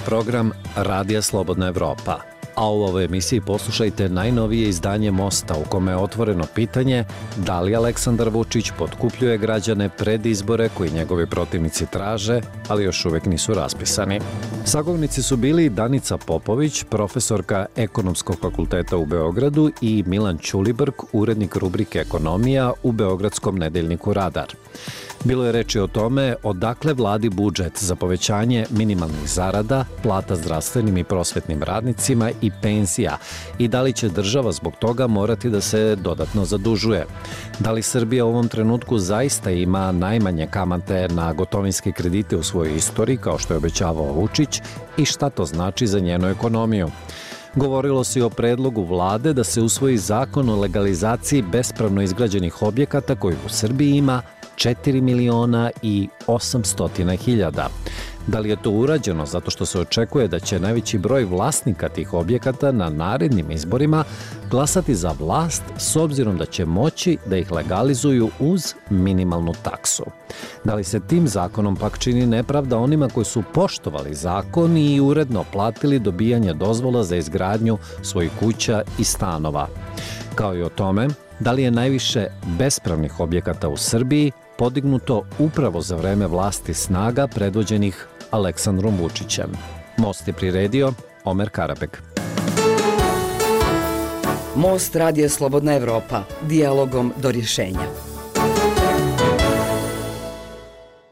program Radija Slobodna Evropa, a u ovoj emisiji poslušajte najnovije izdanje Mosta u kome je otvoreno pitanje da li Aleksandar Vučić potkupljuje građane pred izbore koji njegovi protivnici traže, ali još uvek nisu raspisani. Sagovornici su bili Danica Popović, profesorka Ekonomskog fakulteta u Beogradu, i Milan Ćulibrk, urednik rubrike Ekonomija u beogradskom nedeljniku Radar. Bilo je reči o tome odakle vladi budžet za povećanje minimalnih zarada, plata zdravstvenim i prosvetnim radnicima i penzija i da li će država zbog toga morati da se dodatno zadužuje. Da li Srbija u ovom trenutku zaista ima najmanje kamate na gotovinske kredite u svojoj istoriji, kao što je obećavao Vučić, i šta to znači za njenu ekonomiju. Govorilo se i o predlogu vlade da se usvoji zakon o legalizaciji bespravno izgrađenih objekata koji u Srbiji ima 4.800.000. Da li je to urađeno zato što se očekuje da će najveći broj vlasnika tih objekata na narednim izborima glasati za vlast s obzirom da će moći da ih legalizuju uz minimalnu taksu? Da li se tim zakonom pak čini nepravda onima koji su poštovali zakon i uredno platili dobijanje dozvola za izgradnju svojih kuća i stanova? Kao i o tome, da li je najviše bespravnih objekata u Srbiji podignuto upravo za vreme vlasti snaga predvođenih Aleksandrom Vučićem? Most je priredio Omer Karabek. Most Radija Slobodna Evropa, dijalogom do rješenja.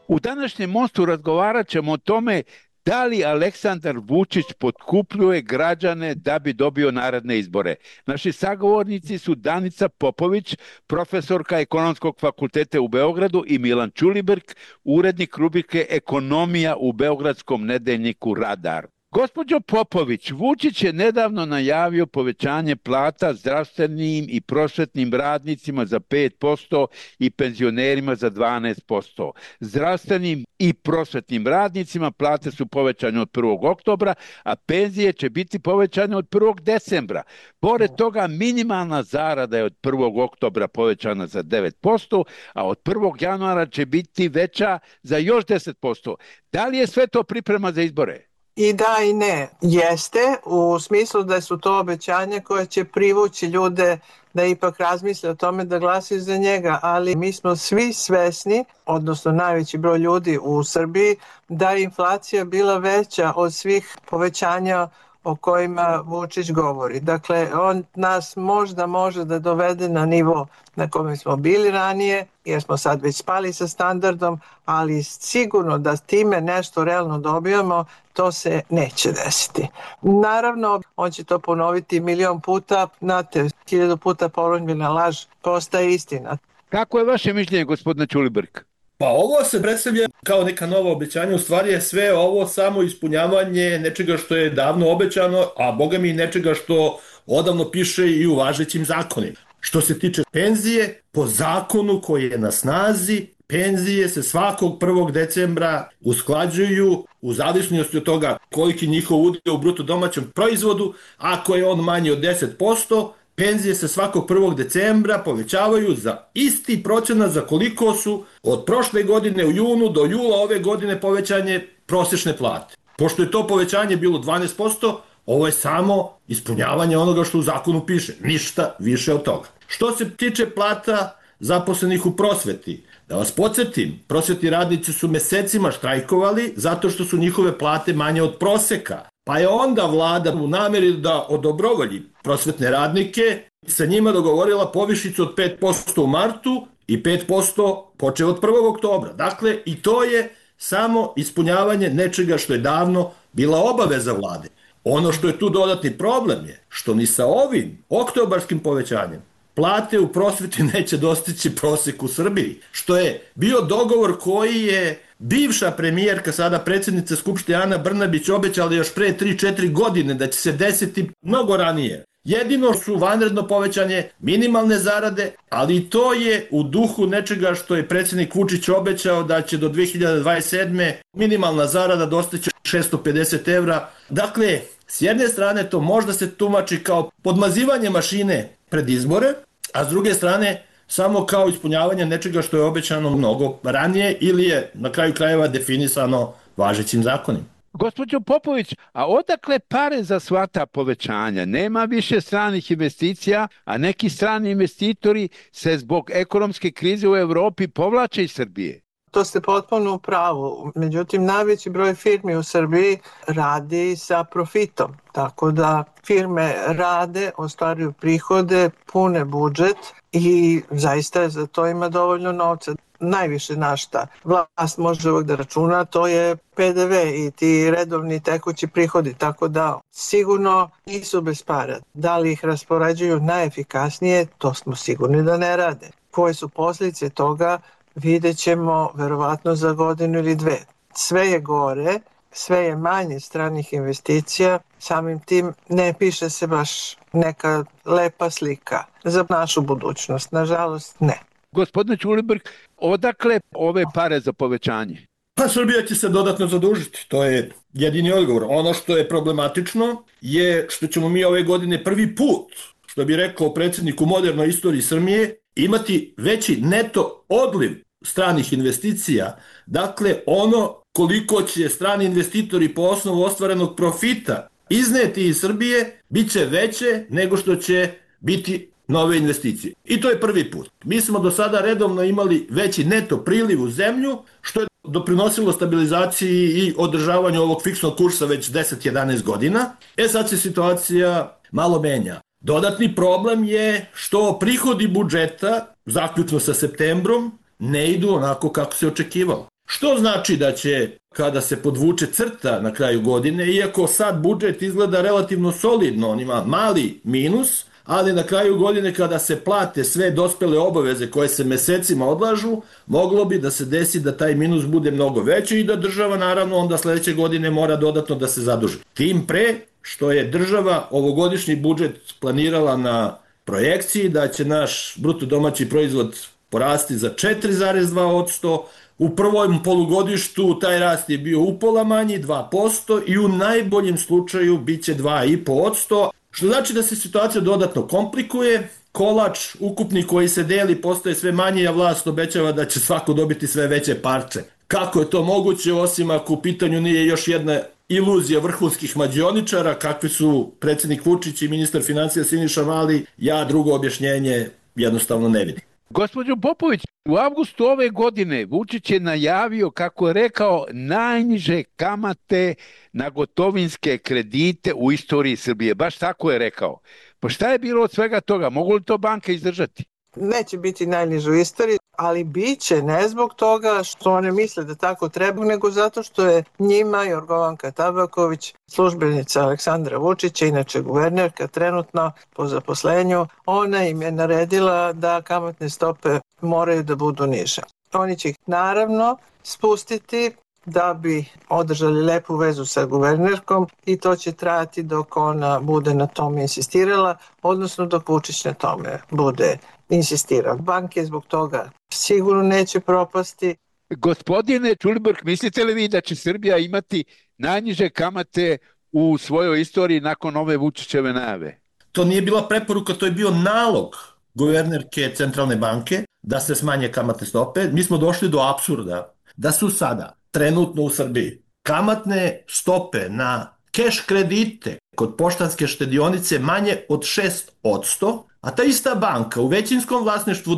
U današnjem Mostu razgovarat ćemo o tome da li Aleksandar Vučić potkupljuje građane da bi dobio naredne izbore. Naši sagovornici su Danica Popović, profesorka Ekonomskog fakulteta u Beogradu, i Milan Ćulibrk, urednik rubrike Ekonomija u beogradskom nedeljniku Radar. Gospođo Popović, Vučić je nedavno najavio povećanje plata zdravstvenim i prosvetnim radnicima za 5% i penzionerima za 12%. Zdravstvenim i prosvetnim radnicima plate su povećane od 1. oktobra, a penzije će biti povećane od 1. decembra. Pored toga, minimalna zarada je od 1. oktobra povećana za 9%, a od 1. januara će biti veća za još 10%. Da li je sve to priprema za izbore? I da i ne. Jeste, u smislu da su to obećanja koje će privući ljude da ipak razmisle o tome da glasaju za njega, ali mi smo svi svesni, odnosno najveći broj ljudi u Srbiji, da je inflacija bila veća od svih povećanja o kojima Vučić govori. Dakle, on nas možda može da dovede na nivo na kome smo bili ranije, jer smo sad već spali sa standardom, ali sigurno da time nešto realno dobijamo, to se neće desiti. Naravno, on će to ponoviti milion puta, znate, 1000 puta ponovljena laž postaje istina. Kako je vaše mišljenje, gospodine Ćulibrk? Pa ovo se predstavlja kao neka nova obećanja, u stvari je sve ovo samo ispunjavanje nečega što je davno obećano, a boga mi nečega što odavno piše i u važećim zakonima. Što se tiče penzije, po zakonu koji je na snazi, penzije se svakog 1. decembra usklađuju u zavisnosti od toga koliki njihov udio u bruto domaćem proizvodu. Ako je on manji od 10%, penzije se svakog 1. decembra povećavaju za isti procenat za koliko su od prošle godine u junu do jula ove godine povećanje prosječne plate. Pošto je to povećanje bilo 12%, ovo je samo ispunjavanje onoga što u zakonu piše, ništa više od toga. Što se tiče plata zaposlenih u prosveti, da vas podsjetim, prosvetni radnici su mesecima štrajkovali zato što su njihove plate manje od proseka. Pa je onda vlada u nameri da odobrovolji prosvetne radnike sa njima dogovorila povišicu od 5% u martu i 5% počeo od 1. oktobra. Dakle, i to je samo ispunjavanje nečega što je davno bila obaveza vlade. Ono što je tu dodatni problem je što ni sa ovim oktobarskim povećanjem plate u prosveti neće dostići prosek u Srbiji, što je bio dogovor koji je bivša premijerka, sada predsjednica Skupštine Ana Brnabić, obećala još pre 3-4 godine da će se desiti mnogo ranije. Jedino su vanredno povećanje minimalne zarade, ali i to je u duhu nečega što je predsjednik Vučić obećao da će do 2027. minimalna zarada dostići 650 evra. Dakle, s jedne strane to možda se tumači kao podmazivanje mašine pred izbore, a s druge strane samo kao ispunjavanje nečega što je obećano mnogo ranije ili je na kraju krajeva definisano važećim zakonima. Gospođo Popović, a odakle pare za sva ta povećanja? Nema više stranih investicija, a neki strani investitori se zbog ekonomske krize u Evropi povlače iz Srbije. To ste potpuno u pravu. Međutim, najveći broj firmi u Srbiji radi sa profitom. Tako da firme rade, ostvaruju prihode, pune budžet i zaista za to ima dovoljno novca. Najviše na šta vlast može uvek da računa, to je PDV i ti redovni tekući prihodi, tako da sigurno nisu bez para. Da li ih raspoređuju najefikasnije, to smo sigurni da ne rade. Koje su posljedice toga, vidjet ćemo verovatno za godinu ili dve. Sve je gore, sve je manje stranih investicija, samim tim ne piše se baš neka lepa slika za našu budućnost. Nažalost, ne. Gospodine Ćulibrk, odakle ove pare za povećanje? Pa Srbija će se dodatno zadužiti, to je jedini odgovor. Ono što je problematično je što ćemo mi ove godine prvi put, što bi rekao predsjednik u modernoj istoriji Srbije, imati veći neto odliv stranih investicija. Dakle, ono koliko će strani investitori po osnovu ostvarenog profita izneti iz Srbije, bit će veće nego što će biti nove investicije. I to je prvi put. Mi smo do sada redovno imali veći neto priliv u zemlju, što je doprinosilo stabilizaciji i održavanju ovog fiksnog kursa već 10-11 godina. Sad se situacija malo menja. Dodatni problem je što prihodi budžeta, zaključno sa septembrom, ne idu onako kako se očekivalo. Što znači da će, kada se podvuče crta na kraju godine, iako sad budžet izgleda relativno solidno, on ima mali minus, ali na kraju godine kada se plate sve dospele obaveze koje se mesecima odlažu, moglo bi da se desi da taj minus bude mnogo veći i da država naravno onda sledeće godine mora dodatno da se zaduži. Tim pre što je država ovogodišnji budžet planirala na projekciji da će naš bruto domaći proizvod porasti za 4,2%, u prvom polugodištu taj rast je bio upola manji, 2%, i u najboljem slučaju bit će 2,5%, što znači da se situacija dodatno komplikuje, kolač ukupni koji se deli postaje sve manji, a vlast obećava da će svako dobiti sve veće parče. Kako je to moguće, osim ako u pitanju nije još jedna iluzija vrhunskih mađioničara, kakvi su predsjednik Vučić i ministar financija Siniša Mali, ja drugo objašnjenje jednostavno ne vidim. Gospođo Popović, u avgustu ove godine Vučić je najavio, kako je rekao, najniže kamate na gotovinske kredite u istoriji Srbije. Baš tako je rekao. Pa šta je bilo od svega toga? Mogu li to banke izdržati? Neće biti najniže u istoriji, ali bit će ne zbog toga što one misle da tako treba, nego zato što je njima Jorgovanka Tabaković, službenica Aleksandra Vučića, inače guvernerka trenutno po zaposlenju, ona im je naredila da kamatne stope moraju da budu niže. Oni će ih naravno spustiti da bi održali lepu vezu sa guvernerkom i to će trajati dok ona bude na tome insistirala, odnosno dok Vučić na tome bude insistirao. Banke zbog toga sigurno neće propasti. Gospodine Ćulibrk, mislite li vi da će Srbija imati najniže kamate u svojoj istoriji nakon ove Vučićeve najave? To nije bila preporuka, to je bio nalog guvernerke Centralne banke da se smanje kamatne stope. Mi smo došli do apsurda da su sada trenutno u Srbiji kamatne stope na keš kredite kod poštanske štedionice manje od 6%, a ta ista banka u većinskom vlasništvu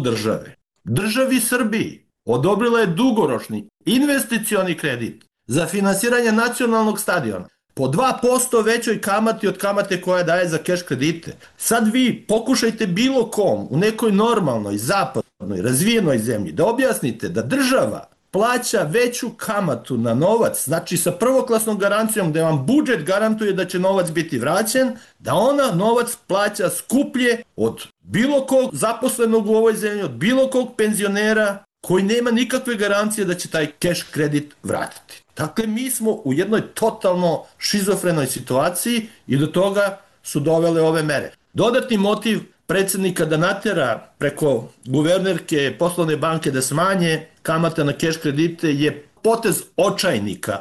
državi Srbiji odobrila je dugoročni investicioni kredit za finansiranje nacionalnog stadiona po 2% većoj kamati od kamate koja daje za keš kredite. Sad vi pokušajte bilo kom u nekoj normalnoj, zapadnoj, razvijenoj zemlji da objasnite da država plaća veću kamatu na novac, znači sa prvoklasnom garancijom da vam budžet garantuje da će novac biti vraćen, da ona novac plaća skuplje od bilo kog zaposlenog u ovoj zemlji, od bilo kog penzionera koji nema nikakve garancije da će taj keš kredit vratiti. Dakle, mi smo u jednoj totalno šizofrenoj situaciji i do toga su dovele ove mere. Dodatni motiv predsjednika da natera preko guvernerke poslovne banke da smanje kamata na keš kredite je potez očajnika.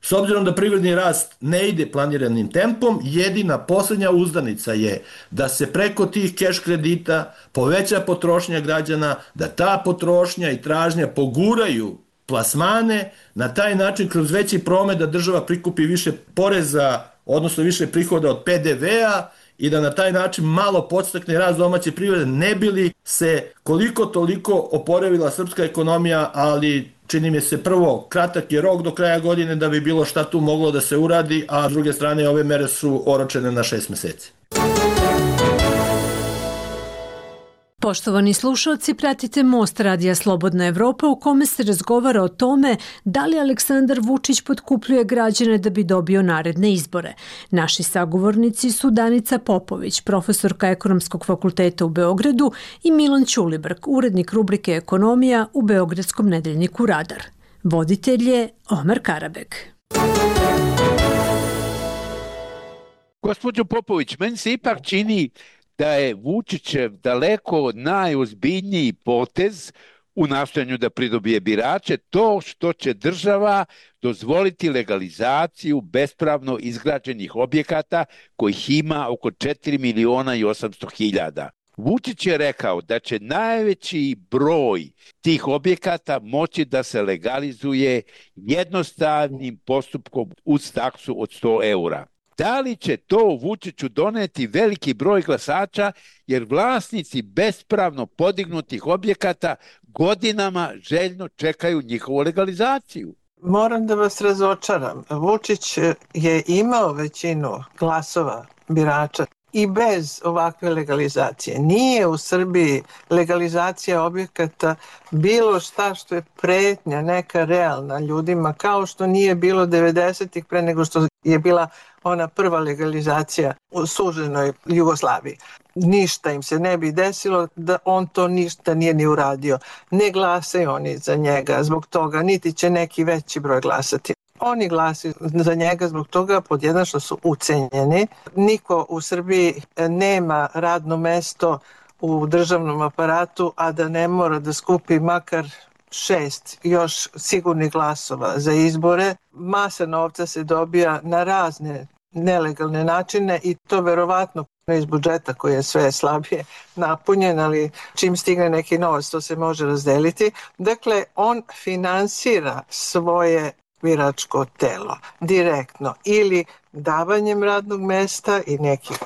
S obzirom da privredni rast ne ide planiranim tempom, jedina posljednja uzdanica je da se preko tih keš kredita poveća potrošnja građana, da ta potrošnja i tražnja poguraju plasmane, na taj način kroz veći promet da država prikupi više poreza, odnosno više prihoda od PDV-a i da na taj način malo podstakne rast domaće privrede, ne bi li se koliko toliko oporavila srpska ekonomija, ali čini mi se prvo, kratak je rok do kraja godine da bi bilo šta tu moglo da se uradi, a s druge strane ove mere su oročene na 6 meseci. Poštovani slušalci, pratite Most Radija Slobodna Evropa u kome se razgovara o tome da li Aleksandar Vučić potkupljuje građane da bi dobio naredne izbore. Naši sagovornici su Danica Popović, profesorka Ekonomskog fakulteta u Beogradu, i Milan Ćulibrk, urednik rubrike Ekonomija u beogradskom nedeljniku Radar. Voditelj je Omer Karabek. Gospođo Popović, meni se ipak čini da je Vučićev daleko najozbiljniji potez u nastojanju da pridobije birače to što će država dozvoliti legalizaciju bespravno izgrađenih objekata kojih ima oko 4.800.000. Vučić je rekao da će najveći broj tih objekata moći da se legalizuje jednostavnim postupkom uz taksu od 100 eura. Da li će to Vučiću doneti veliki broj glasača, jer vlasnici bespravno podignutih objekata godinama željno čekaju njihovu legalizaciju? Moram da vas razočaram. Vučić je imao većinu glasova birača i bez ovakve legalizacije. Nije u Srbiji legalizacija objekata bilo šta što je pretnja neka realna ljudima, kao što nije bilo 90-ih pre nego što je bila ona prva legalizacija u suženoj Jugoslaviji. Ništa im se ne bi desilo da on to ništa nije ni uradio. Ne glasaju oni za njega zbog toga, niti će neki veći broj glasati. Oni glasaju za njega zbog toga, pod jedan, što su ucenjeni. Niko u Srbiji nema radno mesto u državnom aparatu, a da ne mora da skupi makar 6 još sigurnih glasova za izbore. Masa novca se dobija na razne nelegalne načine i to verovatno iz budžeta koji je sve slabije napunjen, ali čim stigne neki novac to se može razdeliti. Dakle, on finansira svoje biračko telo direktno ili davanjem radnog mesta i nekih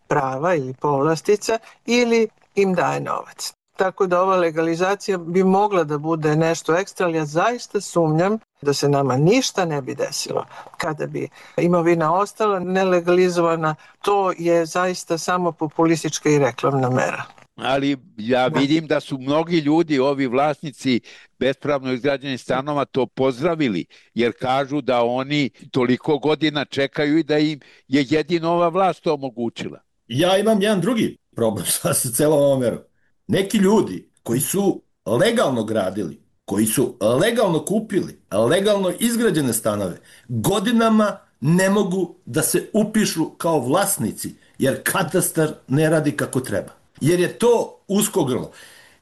prava ili povlastica ili im daje novac. Tako da ova legalizacija bi mogla da bude nešto ekstra, ali ja zaista sumnjam da se nama ništa ne bi desilo kada bi imovina ostala nelegalizovana. To je zaista samo populistička i reklamna mera. Ali ja vidim da su mnogi ljudi, ovi vlasnici bespravno izgrađenih stanova, to pozdravili, jer kažu da oni toliko godina čekaju i da im je jedino ova vlast to omogućila. Ja imam jedan drugi problem sa celom ovom merom. Neki ljudi koji su legalno gradili, koji su legalno kupili, legalno izgrađene stanove, godinama ne mogu da se upišu kao vlasnici, jer katastar ne radi kako treba. Jer je to usko grlo.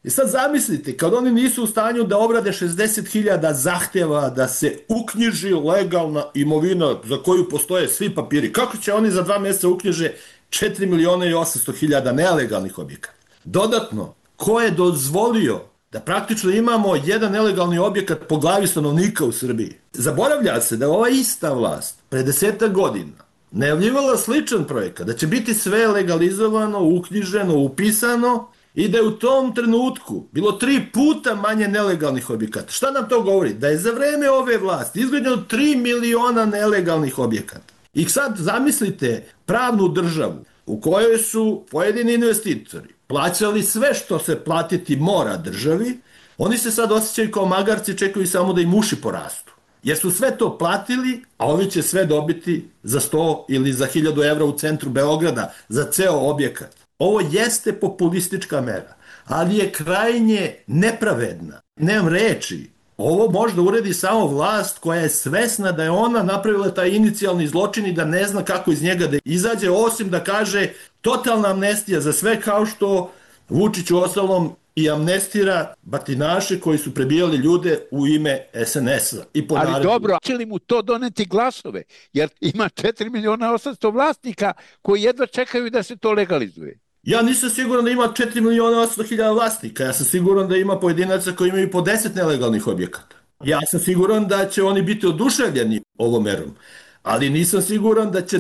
I sad zamislite, kad oni nisu u stanju da obrade 60.000 zahtjeva da se uknjiži legalna imovina za koju postoje svi papiri, kako će oni za 2 mjeseca uknjiže 4.800.000 nelegalnih objekata? Dodatno, ko je dozvolio da praktično imamo jedan nelegalni objekat po glavi stanovnika u Srbiji? Zaboravlja se da ova ista vlast pre 10 godina najavljivala sličan projekat, da će biti sve legalizovano, uknjiženo, upisano i da je u tom trenutku bilo 3 puta manje nelegalnih objekata. Šta nam to govori? Da je za vreme ove vlasti izgrađeno 3 miliona nelegalnih objekata. I sad zamislite pravnu državu u kojoj su pojedini investitori plaćali sve što se platiti mora državi, oni se sad osjećaju kao magarci, čekaju samo da im uši porastu. Jer su sve to platili, a ovi će sve dobiti za 100 ili za 1000 evra u centru Beograda za ceo objekat. Ovo jeste populistička mera, ali je krajnje nepravedna. Nemam reči. Ovo možda uredi samo vlast koja je svesna da je ona napravila taj inicijalni zločin i da ne zna kako iz njega da izađe, osim da kaže totalna amnestija za sve, kao što Vučić u ostalom i amnestira batinaše koji su prebijali ljude u ime SNS-a. Ali dobro, će li mu to doneti glasove? Jer ima 4.800.000 vlasnika koji jedva čekaju da se to legalizuje. Ja nisam siguran da ima 4.800.000 vlasnika. Ja sam siguran da ima pojedinaca koji imaju po 10 nelegalnih objekata. Ja sam siguran da će oni biti oduševljeni ovom merom, ali nisam siguran da će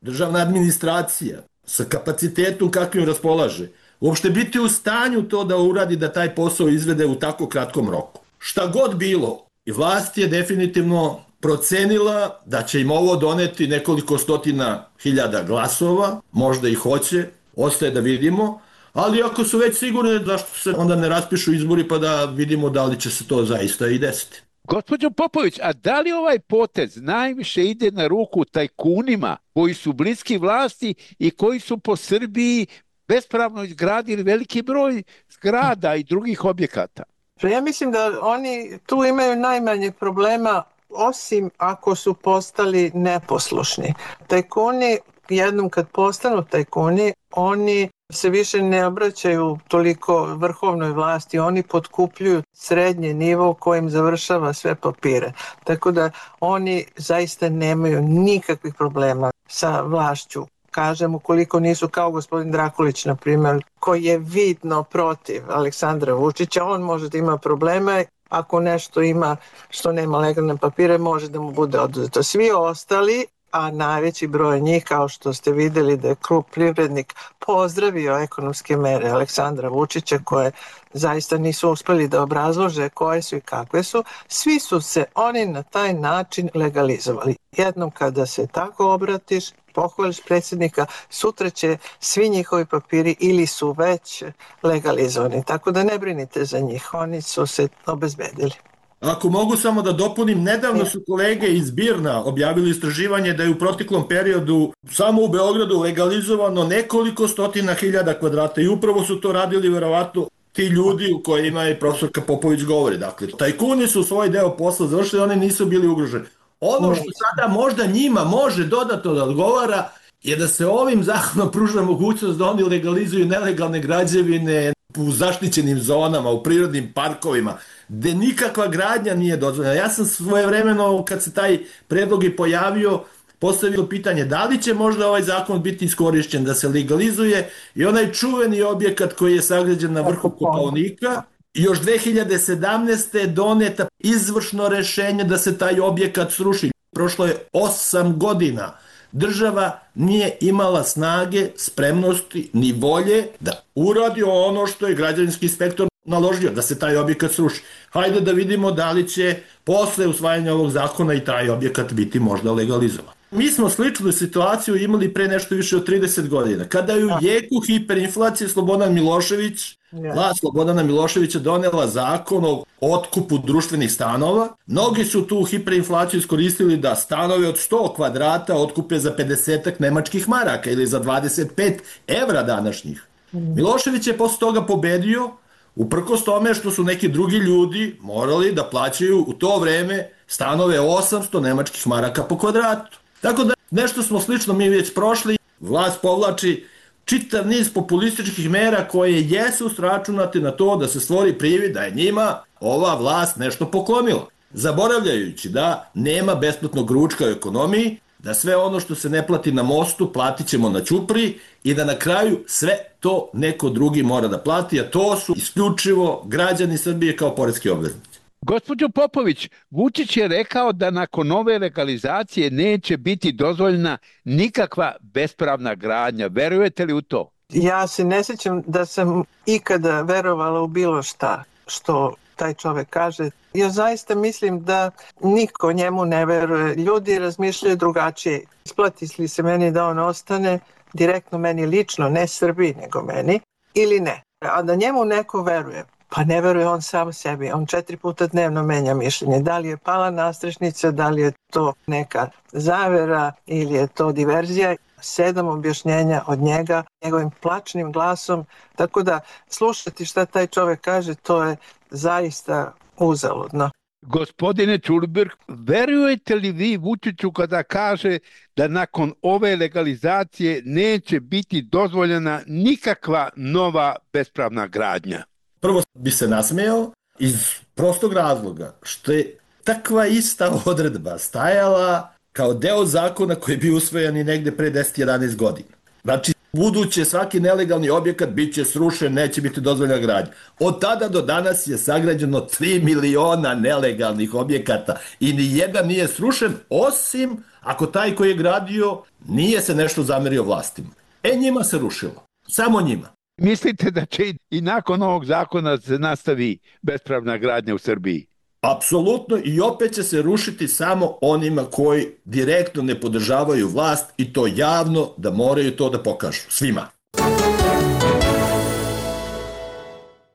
državna administracija sa kapacitetom kakvim raspolaže, uopšte biti u stanju to da uradi, da taj posao izvede u tako kratkom roku. Šta god bilo, i vlast je definitivno procenila da će im ovo doneti nekoliko stotina hiljada glasova, možda i hoće, ostaje da vidimo, ali ako su već sigurni, zašto se onda ne raspišu izbori pa da vidimo da li će se to zaista i desiti. Gospođo Popović, a da li ovaj potez najviše ide na ruku tajkunima koji su bliski vlasti i koji su po Srbiji bespravno izgradili veliki broj zgrada i drugih objekata? Ja mislim da oni tu imaju najmanje problema, osim ako su postali neposlušni. Tajkuni, jednom kad postanu tajkuni, oni se više ne obraćaju toliko vrhovnoj vlasti, oni potkupljuju srednji nivo kojim završava sve papire. Tako da oni zaista nemaju nikakvih problema sa vlašću. Kažem, ukoliko nisu kao gospodin Drakulić, na primjer, koji je vidno protiv Aleksandra Vučića, on može da ima probleme. Ako nešto ima što nema legalne papire, može da mu bude oduzeto. Svi ostali, a najveći broj njih, kao što ste videli da je Klub Privrednik pozdravio ekonomske mere Aleksandra Vučića, koje zaista nisu uspeli da obrazlože koje su i kakve su, svi su se oni na taj način legalizovali. Jednom kada se tako obratiš, pohvališ predsjednika, sutra će svi njihovi papiri ili su već legalizovani. Tako da ne brinite za njih, oni su se obezbedili. Ako mogu samo da dopunim, nedavno su kolege iz BIRN-a objavili istraživanje da je u proteklom periodu samo u Beogradu legalizovano nekoliko stotina hiljada kvadrata i upravo su to radili verovatno ti ljudi u kojima je profesorka Popović govori. Dakle, tajkuni su svoj deo posla završili, oni nisu bili ugroženi. Ono što sada možda njima može dodatno da odgovara je da se ovim zakonom pruža mogućnost da oni legalizuju nelegalne građevine u zaštićenim zonama, u prirodnim parkovima, gde nikakva gradnja nije dozvoljena. Ja sam svojevremeno, kad se taj predlog i pojavio, postavio pitanje da li će možda ovaj zakon biti iskorišćen da se legalizuje i onaj čuveni objekat koji je sagrađen na vrhu Kopaonika. Još 2017. je doneta izvršno rešenje da se taj objekat sruši. Prošlo je 8 godina. Država nije imala snage, spremnosti ni volje da uradi ono što je građevinski inspektor naložio, da se taj objekat sruši. Hajde da vidimo da li će posle usvajanja ovog zakona i taj objekat biti možda legalizovan. Mi smo sličnu situaciju imali pre nešto više od 30 godina. Kada je u jeku hiperinflacije Slobodan Milošević, vlast Slobodana Miloševića donela zakon o otkupu društvenih stanova, mnogi su tu hiperinflaciju iskoristili da stanove od 100 kvadrata otkupe za 50 nemačkih maraka ili za 25 evra današnjih. Milošević je posle toga pobedio, uprkos tome što su neki drugi ljudi morali da plaćaju u to vreme stanove 800 nemačkih maraka po kvadratu. Tako da nešto smo slično mi već prošli. Vlast povlači čitav niz populističkih mera koje jesu sračunate na to da se stvori privid da je njima ova vlast nešto poklonila. Zaboravljajući da nema besplatnog ručka u ekonomiji, da sve ono što se ne plati na mostu platit ćemo na ćupriji i da na kraju sve to neko drugi mora da plati, a to su isključivo građani Srbije kao poreski obveznici. Gospođo Popović, Vučić je rekao da nakon ove legalizacije neće biti dozvoljena nikakva bespravna gradnja. Verujete li u to? Ja se ne sjećam da sam ikada verovala u bilo šta što taj čovek kaže. Ja zaista mislim da niko njemu ne veruje. Ljudi razmišljaju drugačije. Isplati li se meni da on ostane, direktno meni lično, ne Srbiji nego meni, ili ne. A da njemu neko veruje, pa ne veruje on sam sebi. On 4 puta dnevno menja mišljenje. Da li je pala nastrešnica, da li je to neka zavera ili je to diverzija. 7 objašnjenja od njega, njegovim plačnim glasom. Tako da slušati šta taj čovek kaže, to je zaista uzaludno. Gospodine Čulibrk, verujete li vi Vučiću kada kaže da nakon ove legalizacije neće biti dozvoljena nikakva nova bespravna gradnja? Prvo bi se nasmejao iz prostog razloga što je takva ista odredba stajala kao deo zakona koji je bio usvojen i negde pre 10-11 godina. Znači, buduće svaki nelegalni objekat bit će srušen, neće biti dozvoljena gradnja. Od tada do danas je sagrađeno 3 miliona nelegalnih objekata i ni jedan nije srušen, osim ako taj koji je gradio nije se nešto zamerio vlastima. Njima se rušilo. Samo njima. Mislite da će i nakon ovog zakona se nastavi bespravna gradnja u Srbiji? Apsolutno, i opet će se rušiti samo onima koji direktno ne podržavaju vlast i to javno, da moraju to da pokažu. Svima.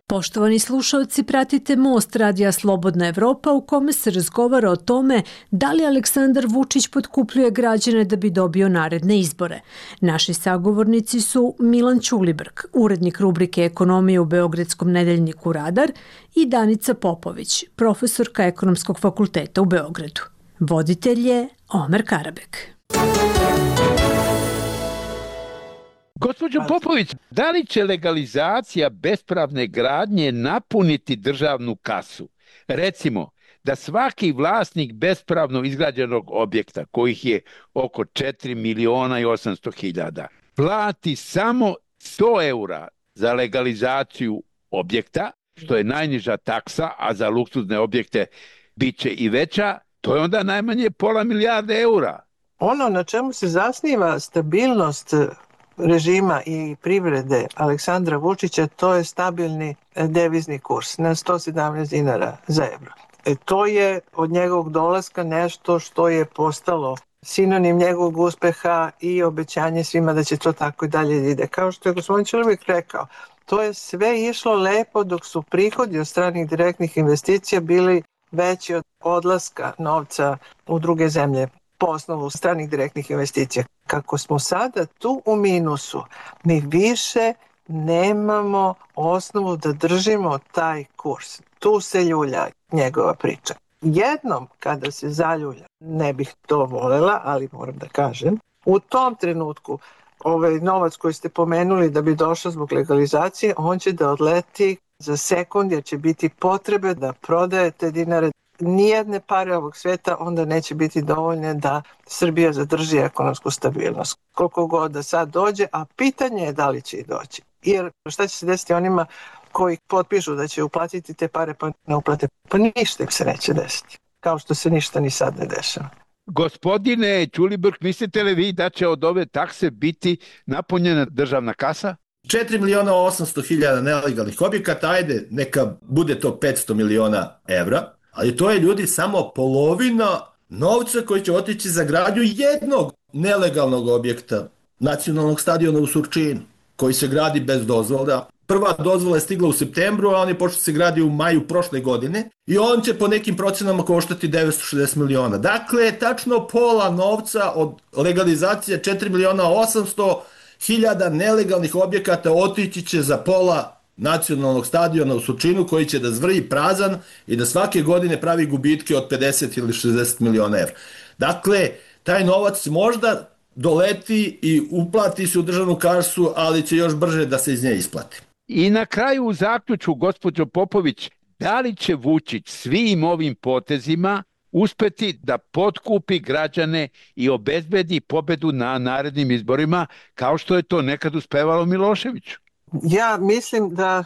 Poštovani slušalci, pratite Most Radija Slobodna Evropa u kome se razgovara o tome da li Aleksandar Vučić potkupljuje građane da bi dobio naredne izbore. Naši sagovornici su Milan Ćulibrk, urednik rubrike Ekonomije u Beogradskom nedeljniku Radar, i Danica Popović, profesorka Ekonomskog fakulteta u Beogradu. Voditelj je Omer Karabek. Gospođo Popović, da li će legalizacija bespravne gradnje napuniti državnu kasu? Recimo, da svaki vlasnik bespravno izgrađenog objekta, kojih je oko 4 miliona i 800 hiljada, plati samo 100 eura za legalizaciju objekta, što je najniža taksa, a za luksuzne objekte bit će i veća, to je onda najmanje pola milijarde eura. Ono na čemu se zasniva stabilnost režima i privrede Aleksandra Vučića, to je stabilni devizni kurs na 117 dinara za evro. To je od njegovog dolaska nešto što je postalo sinonim njegovog uspeha i obećanje svima da će to tako i dalje ide. Kao što je gospodin Ćulibrk rekao, to je sve išlo lepo dok su prihodi od stranih direktnih investicija bili veći od odlaska novca u druge zemlje po osnovu stranih direktnih investicija. Kako smo sada tu u minusu, mi više nemamo osnovu da držimo taj kurs. Tu se ljulja njegova priča. Jednom kada se zaljulja, ne bih to volela, ali moram da kažem, u tom trenutku ovaj novac koji ste pomenuli da bi došao zbog legalizacije, on će da odleti za sekund jer će biti potrebe da prodajete dinare. Nijedne pare ovog sveta onda neće biti dovoljne da Srbija zadrži ekonomsku stabilnost. Koliko god da sad dođe, a pitanje je da li će i doći. Jer šta će se desiti onima koji potpišu da će uplatiti te pare pa ne uplate? Pa ništa im se neće desiti. Kao što se ništa ni sad ne dešava. Gospodine Ćulibrk, mislite li vi da će od ove takse biti napunjena državna kasa? 4 miliona 800 hiljada nelegalnih objekata, ajde, neka bude to 500 miliona evra. Ali to je, ljudi, samo polovina novca koji će otići za gradnju jednog nelegalnog objekta, nacionalnog stadiona u Surčinu, koji se gradi bez dozvola. Prva dozvola je stigla u septembru, a on je počeo se gradi u maju prošle godine i on će po nekim procenama koštati 960 miliona. Dakle, tačno pola novca od legalizacije 4 miliona 800 hiljada nelegalnih objekata otići će za pola nacionalnog stadiona u Surčinu, koji će da zvrji prazan i da svake godine pravi gubitke od 50 ili 60 miliona evra. Dakle, taj novac možda doleti i uplati se u državnu kasu, ali će još brže da se iz nje isplati. I na kraju u zaključku, gospođo Popović, da li će Vučić svim ovim potezima uspeti da potkupi građane i obezbedi pobedu na narednim izborima, kao što je to nekad uspevalo Miloševiću? Ja mislim da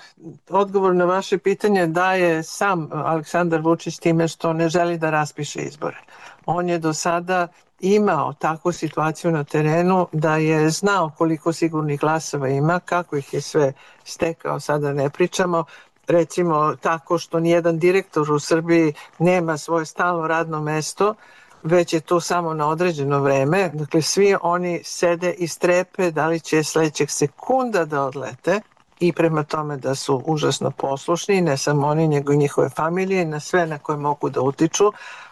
odgovor na vaše pitanje daje sam Aleksandar Vučić time što ne želi da raspiše izbore. On je do sada imao takvu situaciju na terenu da je znao koliko sigurnih glasova ima, kako ih je sve stekao, sada ne pričamo. Recimo tako što nijedan direktor u Srbiji nema svoje stalno radno mesto, već je to samo na određeno vreme. Dakle, svi oni sede i strepe da li će sledećeg sekunda da odlete i prema tome da su užasno poslušni, ne samo oni, nego i njihove familije, na sve na koje mogu da utiču.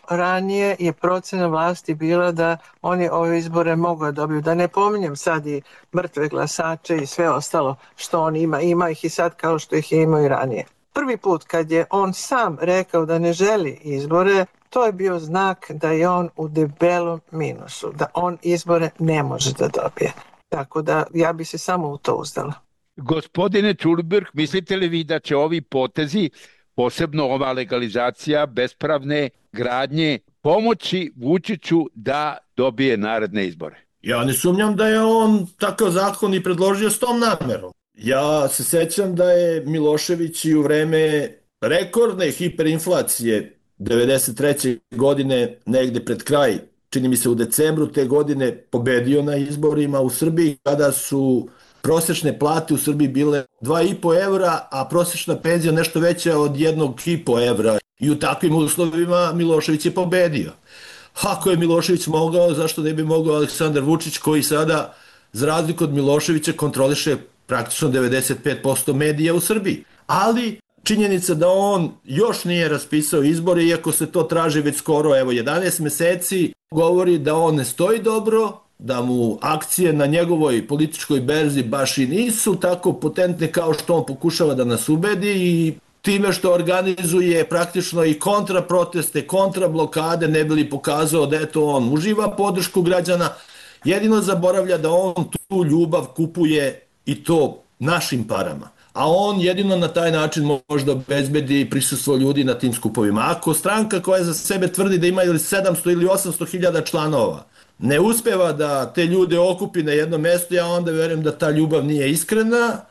Ranije je procena vlasti bila da oni ove izbore mogu da dobiju. Da ne pominjem sad i mrtve glasače i sve ostalo što on ima. Ima ih i sad kao što ih je imao i ranije. Prvi put kad je on sam rekao da ne želi izbore, to je bio znak da je on u debelom minusu, da on izbore ne može da dobije. Tako da ja bi se samo u to uzdala. Gospodine Ćulibrk, mislite li vi da će ovi potezi, posebno ova legalizacija bespravne gradnje, pomoći Vučiću da dobije naredne izbore? Ja ne sumnjam da je on takav zakon i predložio s tom namerom. Ja se sećam da je Milošević i u vreme rekordne hiperinflacije 93. godine, negde pred kraj, čini mi se u decembru te godine, pobedio na izborima u Srbiji, kada su prosečne plate u Srbiji bile 2,5 evra, a prosečna penzija nešto veća od 1,5 evra. I u takvim uslovima Milošević je pobedio. Ako je Milošević mogao, zašto ne bi mogao Aleksandar Vučić, koji sada, za razliku od Miloševića, kontroliše praktično 95% medija u Srbiji. Ali činjenica da on još nije raspisao izbore, iako se to traži već skoro 11 meseci, govori da on ne stoji dobro, da mu akcije na njegovoj političkoj berzi baš i nisu tako potentne kao što on pokušava da nas ubedi, i time što organizuje praktično i kontraproteste, kontrablokade, ne bi li pokazao da eto on uživa podršku građana, jedino zaboravlja da on tu ljubav kupuje i to našim parama. A on jedino na taj način može da obezbedi prisustvo ljudi na tim skupovima. Ako stranka koja za sebe tvrdi da ima ili 700 ili 800 hiljada članova ne uspeva da te ljude okupi na jedno mesto, ja onda verujem da ta ljubav nije iskrena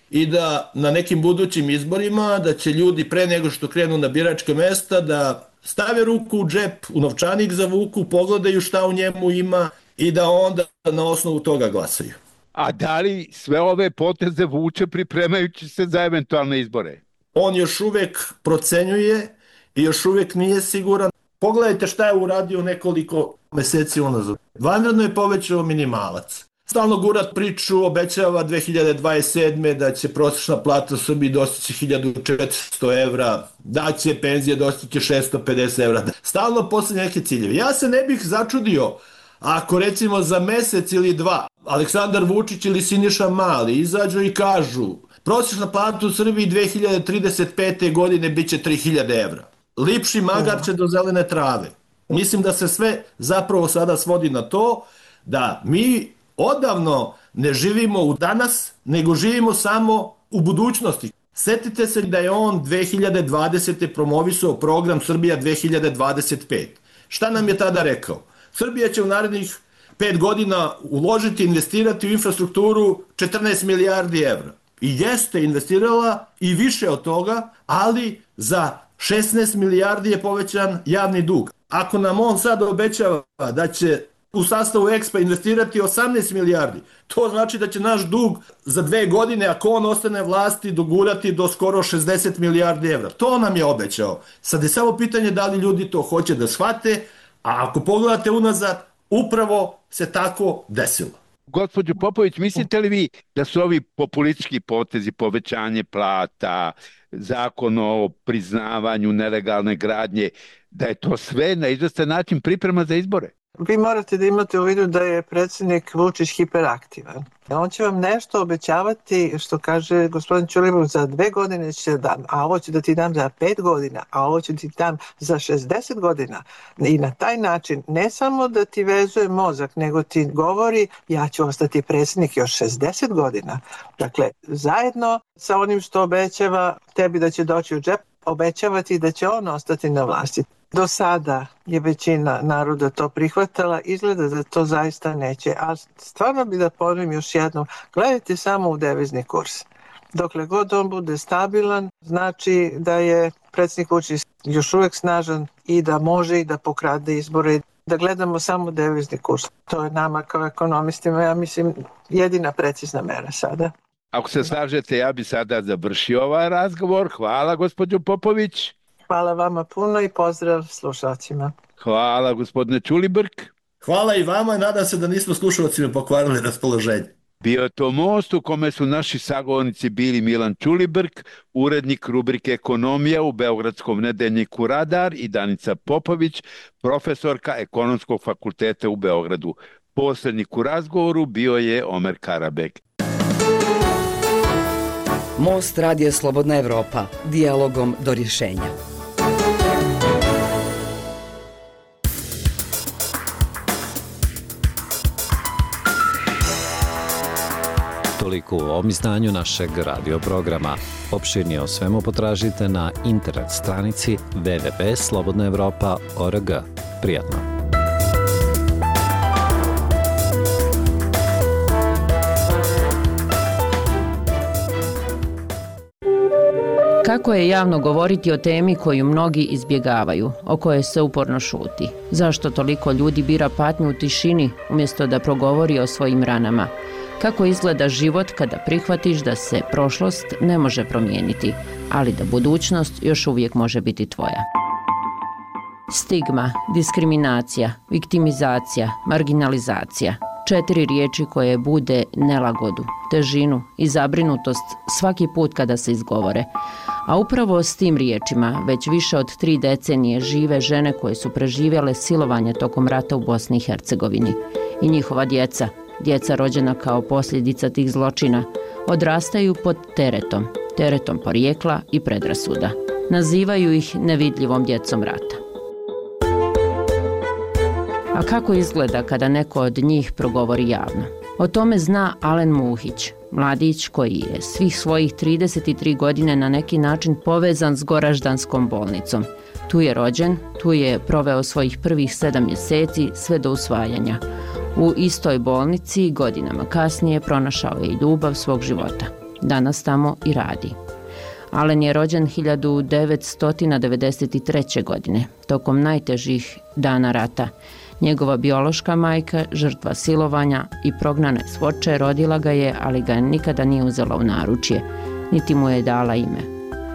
i da na nekim budućim izborima da će ljudi pre nego što krenu na biračka mesta da stave ruku u džep, u novčanik zavuku, pogledaju šta u njemu ima i da onda na osnovu toga glasaju. A da li sve ove poteze vuče pripremajući se za eventualne izbore? On još uvek procenjuje i još uvek nije siguran. Pogledajte šta je uradio nekoliko meseci unazad. Vanredno je povećao minimalac. Stalno gura priču, obećava 2027. da će prosječna plata u Srbiji dostići 1400 evra, da će penzije dostići 650 evra. Stalno postavlja neke ciljeve. Ja se ne bih začudio ako recimo za mesec ili dva Aleksandar Vučić ili Siniša Mali izađu i kažu prosječna plata u Srbiji 2035. godine bit će 3000 evra. Lipši magarče do zelene trave. Mislim da se sve zapravo sada svodi na to da mi odavno ne živimo u danas, nego živimo samo u budućnosti. Setite se da je on 2020. promovisao program Srbija 2025. Šta nam je tada rekao? Srbija će u narednih 5 godina uložiti, investirati u infrastrukturu 14 milijardi evra. I jeste investirala i više od toga, ali za 16 milijardi je povećan javni dug. Ako nam on sad obećava da će u sastavu EXPA investirati 18 milijardi, to znači da će naš dug za 2 godine, ako on ostane vlasti, dogurati do skoro 60 milijardi evra. To nam je obećao. Sad je samo pitanje da li ljudi to hoće da shvate, a ako pogledate unazad, upravo se tako desilo. Gospođo Popović, mislite li vi da su ovi populistički potezi, povećanje plata, zakon o priznavanju nelegalne gradnje, da je to sve na izvestan način priprema za izbore? Vi morate da imate u vidu da je predsjednik Vučić hiperaktivan. On će vam nešto obećavati, što kaže gospodin Ćulibrk, za 2 godine će dam, a ovo ću da ti dam za 5 godina, a ovo ću ti dam za 60 godina. I na taj način ne samo da ti vezuje mozak, nego ti govori ja ću ostati predsjednik još 60 godina. Dakle, zajedno sa onim što obećava tebi da će doći u džep, obećavati da će on ostati na vlasti. Do sada je većina naroda to prihvatala, izgleda da to zaista neće. A stvarno bi da ponovim još jednom, gledajte samo u devizni kurs. Dokle god on bude stabilan, znači da je predsjednik Vučić još uvek snažan i da može i da pokrade izbore. Da gledamo samo devizni kurs. To je nama kao ekonomistima, ja mislim, jedina precizna mera sada. Ako se slažete, ja bi sada završio ovaj razgovor. Hvala, gospođo Popović. Hvala vama puno i pozdrav slušalcima. Hvala, gospodine Ćulibrk. Hvala i vama i nadam se da nismo slušalcima pokvarili raspoloženje. Bio je to Most u kome su naši sagovornici bili Milan Ćulibrk, urednik rubrike Ekonomija u Beogradskom nedeljniku Radar, i Danica Popović, profesorka Ekonomskog fakulteta u Beogradu. Posrednik u razgovoru bio je Omer Karabek. Most Radija Slobodna Evropa. Dijalogom do rješenja. Toliko u ovom izdanju našeg radio programa. Opširnije o svemu potražite na internet stranici www.slobodnaevropa.org. Prijatno. Kako je javno govoriti o temi koju mnogi izbjegavaju, o kojoj se uporno šuti? Zašto toliko ljudi bira patnju u tišini umjesto da progovori o svojim ranama? Kako izgleda život kada prihvatiš da se prošlost ne može promijeniti, ali da budućnost još uvijek može biti tvoja? Stigma, diskriminacija, viktimizacija, marginalizacija. 4 riječi koje bude nelagodu, težinu i zabrinutost svaki put kada se izgovore. A upravo s tim riječima već više od 3 decenije žive žene koje su preživjele silovanje tokom rata u Bosni i Hercegovini. I njihova djeca rođena kao posljedica tih zločina, odrastaju pod teretom porijekla i predrasuda. Nazivaju ih nevidljivom djecom rata. A kako izgleda kada neko od njih progovori javno? O tome zna Alen Muhić, mladić koji je svih svojih 33 godine na neki način povezan s Goraždanskom bolnicom. Tu je rođen, tu je proveo svojih prvih 7 mjeseci sve do usvajanja. U istoj bolnici godinama kasnije pronašao je i ljubav svog života. Danas tamo i radi. Alen je rođen 1993. godine, tokom najtežih dana rata. Njegova biološka majka, žrtva silovanja i prognane s Foče, rodila ga je, ali ga nikada nije uzela u naručje, niti mu je dala ime.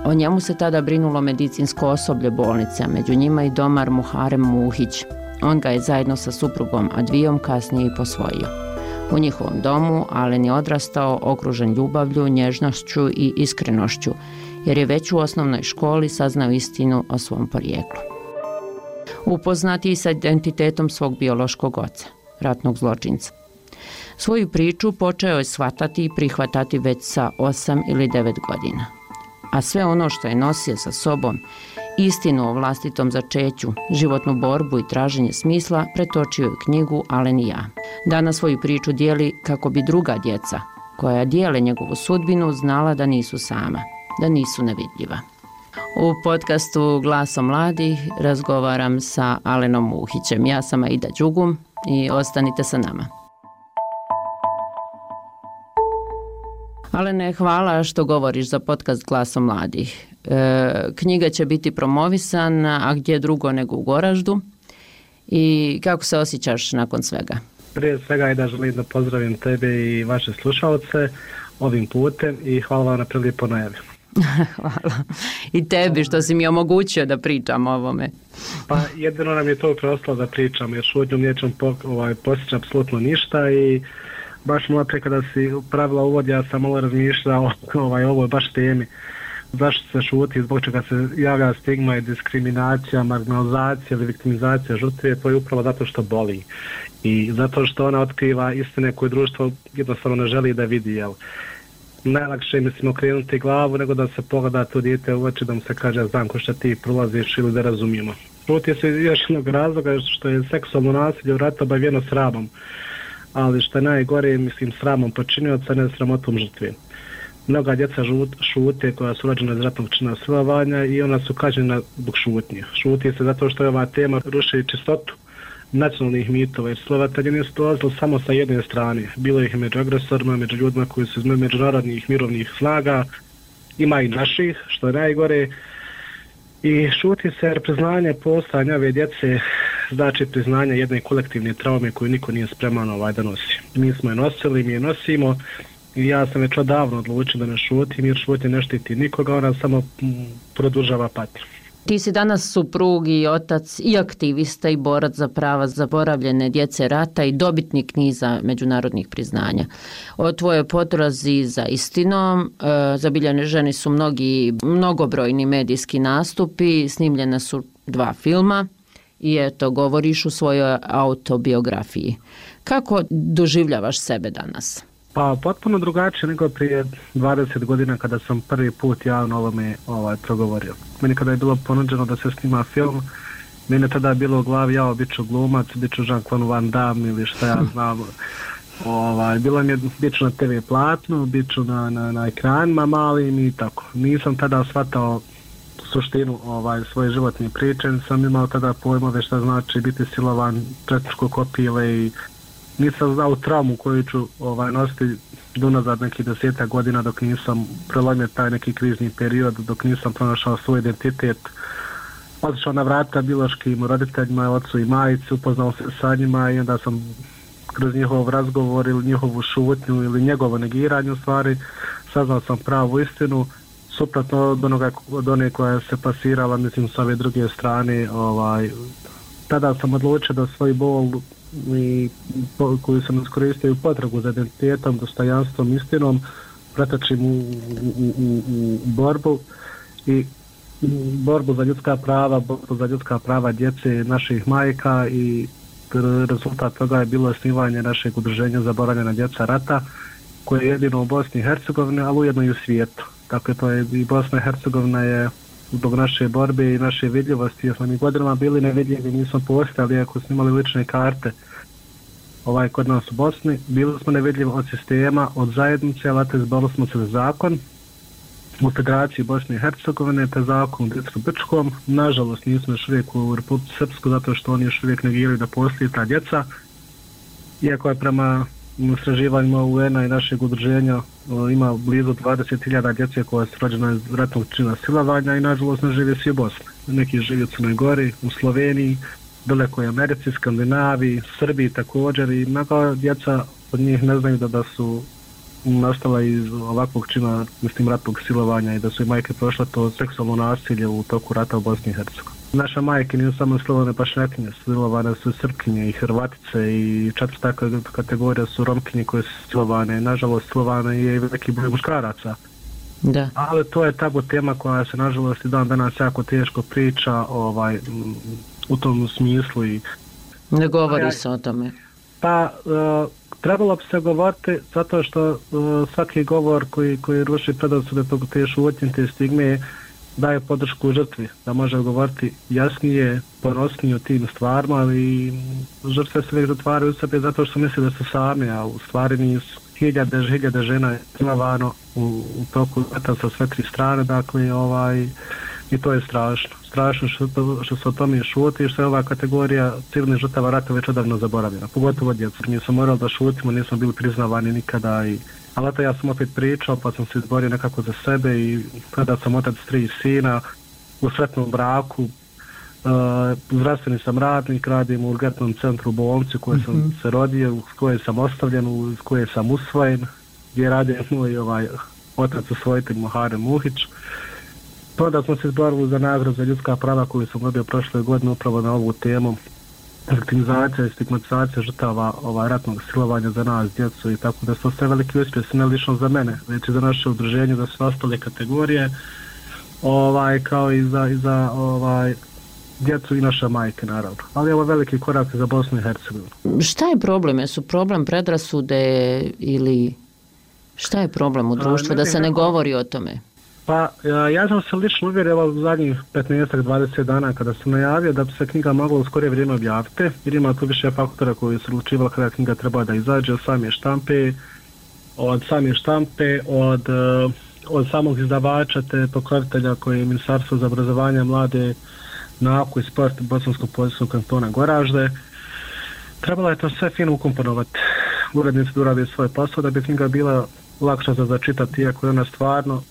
O njemu se tada brinulo medicinsko osoblje bolnice, a među njima i domar Muharem Muhić. On ga je zajedno sa suprugom Advijom kasnije i posvojio. U njihovom domu Alen je odrastao okružen ljubavlju, nježnošću i iskrenošću, jer je već u osnovnoj školi saznao istinu o svom porijeklu. Upoznati i sa identitetom svog biološkog oca, ratnog zločinca. Svoju priču počeo je shvatati i prihvatati već sa 8 ili 9 godina. A sve ono što je nosio sa sobom, istinu o vlastitom začeću, životnu borbu i traženje smisla, pretočio je u knjigu Alen i ja. Danas svoju priču dijeli kako bi druga djeca, koja dijele njegovu sudbinu, znala da nisu sama, da nisu nevidljiva. U podcastu Glasom mladih razgovaram sa Alenom Muhićem. Ja sam Aida Đugum i ostanite sa nama. Alene, hvala što govoriš za podcast Glasom mladih. Knjiga će biti promovisana, a gdje drugo nego u Goraždu. I kako se osjećaš nakon svega? Prije svega Aida, želim da pozdravim tebe i vaše slušalce ovim putem i hvala vam na prilijepo najavi. Hvala. I tebi što si mi omogućio da pričam o ovome. Pa jedino nam je to preostalo da pričamo, jer šutnjom nećemo postići apsolutno ništa i baš malo pre kada si pravila uvod, ja sam malo razmišljao o ovoj baš temi. Zašto se šuti, zbog čega se javlja stigma i diskriminacija, marginalizacija ili viktimizacija žrtve, to je upravo zato što boli. I zato što ona otkriva istine koje društvo jednostavno ne želi da vidi, jel? Najlakše je, mislim, okrenuti glavu nego da se pogleda to dijete u oči, da mu se kaže znam ko što ti prolaziš ili da razumijemo. Šuti se još jednog razloga što je seksualno nasilje u ratu obavijeno sramom, ali što je najgore, mislim, sramom počinioca, ne sramotom žrtve. Mnoga djeca šute koja su rođena iz ratnog čina silovanja i ona su kažnjena zbog šutnje. Šuti se zato što je ova tema ruši čistotu nacionalnih mitova, jer silovatelji nisu dolazili samo sa jedne strane. Bilo ih među agresorima, među ljudima koji su iz međunarodnih mirovnih snaga, ima i naših, što je najgore. I šuti se jer priznanje postojanja ove djece znači priznanje jedne kolektivne traume koju niko nije spreman da nosi. Mi smo je nosili, mi je nosimo i ja sam već odavno odlučio da ne šutim, jer šutnje ne štiti nikoga, ona samo produžava patnju. Ti si danas suprug i otac i aktivista i borac za prava zaboravljene djece rata i dobitnik niza međunarodnih priznanja. O tvojoj potrazi za istinom zabilježeni su mnogobrojni medijski nastupi, snimljene su 2 filma i eto, govoriš u svojoj autobiografiji. Kako doživljavaš sebe danas? Pa potpuno drugačije nego prije 20 godina kada sam prvi put javno ovome progovorio. Meni kada je bilo ponuđeno da se snima film, meni je tada bilo u glavi ja bit ću glumac, bit ću Jean-Claude Van Damme ili šta ja znam. Bilo mi je bit ću na TV platnu, bit ću na ekranima malim i tako. Nisam tada shvatao suštinu svoje životne priče, sam imao tada pojmove šta znači biti silovan, četničko kopile i nisam znao traumu koju ću nositi unazad nekih 10 godina dok nisam prelomio taj neki krizni period, dok nisam pronašao svoj identitet. Otišao na vrata biološkim roditeljima, ocu i majici, upoznao se sa njima i onda sam kroz njihov razgovor ili njihovu šutnju ili njegovo negiranje u stvari saznao sam pravu istinu, suprotno od one koja se pasirala, mislim, s ove druge strane. Tada sam odlučio da svoj bol koju sam iskoristio u potragu za identitetom, dostojanstvom, istinom, pretočim u borbu i borbu za ljudska prava djece naših majka, i rezultat toga je bilo osnivanje našeg udruženja Zaboravljena djeca rata, koje je jedino u Bosni i Hercegovini, ali ujedno i u svijetu. Dakle, to je i Bosna i Hercegovina je zbog naše borbe i naše vidljivosti, jer smo mi godinama bili nevidljivi, nismo postali, iako smo imali lične karte kod nas u Bosni, bili smo nevidljivi od sistema, od zajednice, ali izborili smo se za zakon u Federaciji Bosne i Hercegovine, te zakon u Dicru Brčkom. Nažalost, nismo još uvijek u Republici Srpsku, zato što oni još uvijek negiraju da postoji ta djeca, iako je prema istraživanjima UN-a i našeg udruženja ima blizu 20.000 djece koja su rođena iz ratnog čina silovanja i nažalost ne žive svi u Bosni. Neki žive u Crnoj Gori, u Sloveniji, dalekoj Americi, Skandinaviji, Srbiji također, i mnoga djeca od njih ne znaju da su nastala iz ovakvog čina, mislim, ratnog silovanja, i da su i majke prošle to seksualno nasilje u toku rata u Bosni i Hercegovini. Naše majke nisu samo silovane pašnjakinje, silovane su Srpkinje i Hrvatice, i četvrta kategorija su Romkinje koje su silovane. Nažalost, silovane je i veliki broj muškaraca. Da. Ali to je tabu tema koja se nažalost i dan danas jako teško priča u tom smislu. I ne govori se o tome. Pa trebalo bi se govoriti, zato što svaki govor koji ruši predrasude, te šutnje, te stigme, daje podršku žrtvi, da može govoriti jasnije, ponosnije o tim stvarima, ali žrtve se uvijek zatvaraju u sebe zato što misle da su sami, a u stvari nisu. Hiljade žena je silovano u toku rata sa sve tri strane, dakle, i to je strašno. Strašno što se o tome šuti i što je ova kategorija civilnih žrtava rata već odavno zaboravljena, pogotovo djeca. Mi smo morali da šutimo, nismo bili priznavani nikada, ali eto, ja sam opet pričao, pa sam se izborio nekako za sebe, i kada sam otac 3 sina u sretnom braku, zdravstveni sam radnik, radim u urgentnom centru u bolnici u kojoj sam se rodio, u kojoj sam ostavljen, u kojoj sam usvojen, gdje radi moj otac usvojitelj Muharem Muhić. Onda smo se izborili za nagradu za ljudska prava koju sam dobio prošle godine upravo na ovu temu, viktimizacija i stigmatizacija žrtava ratnog silovanja za nas, djecu, i tako da su sve veliki uspjesi, ne lično za mene, već i za naše udruženje, da su ostale kategorije, kao i za djecu i naše majke, naravno. Ali ovo je veliki korak za Bosnu i Hercegovinu. Šta je problem? Jesu problem predrasude ili šta je problem u društvu da se ne govori o tome? Pa ja sam se lično uvjerio u zadnjih 15-20 dana kada sam najavio da bi se knjiga mogla u skorije vrijeme objaviti, jer ima tu više faktora koji su odlučivali kada knjiga treba da izađe, od same štampe, od samog izdavača te pokrovitelja koji je Ministarstvo za obrazovanje, mlade, nauku i sport Bosansko-Poljskog kantona Goražde. Trebalo je to sve fino ukomponovati. Urednici da urade svoj posao da bi knjiga bila lakša za začitati, iako je ona stvarno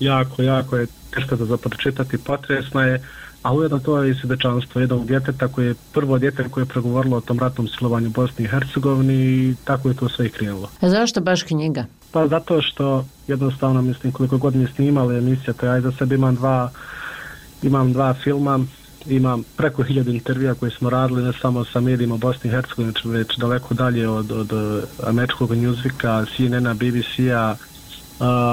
jako je teška za pročitati, potresna je, a ujedno to je i svjedočanstvo jednog djeteta koje je prvo dijete koje je pregovorilo o tom ratnom silovanju u Bosni i Hercegovini, i tako je to sve i krenulo. A zašto baš knjiga? Pa zato što jednostavno, mislim, koliko god mi snimali emisija, to ja za sebe imam dva filma, imam preko 1000 intervjua koje smo radili, ne samo sa medijima Bosni i Hercegovine, već daleko dalje od američkog Newsweeka, CNN-a, BBC-a,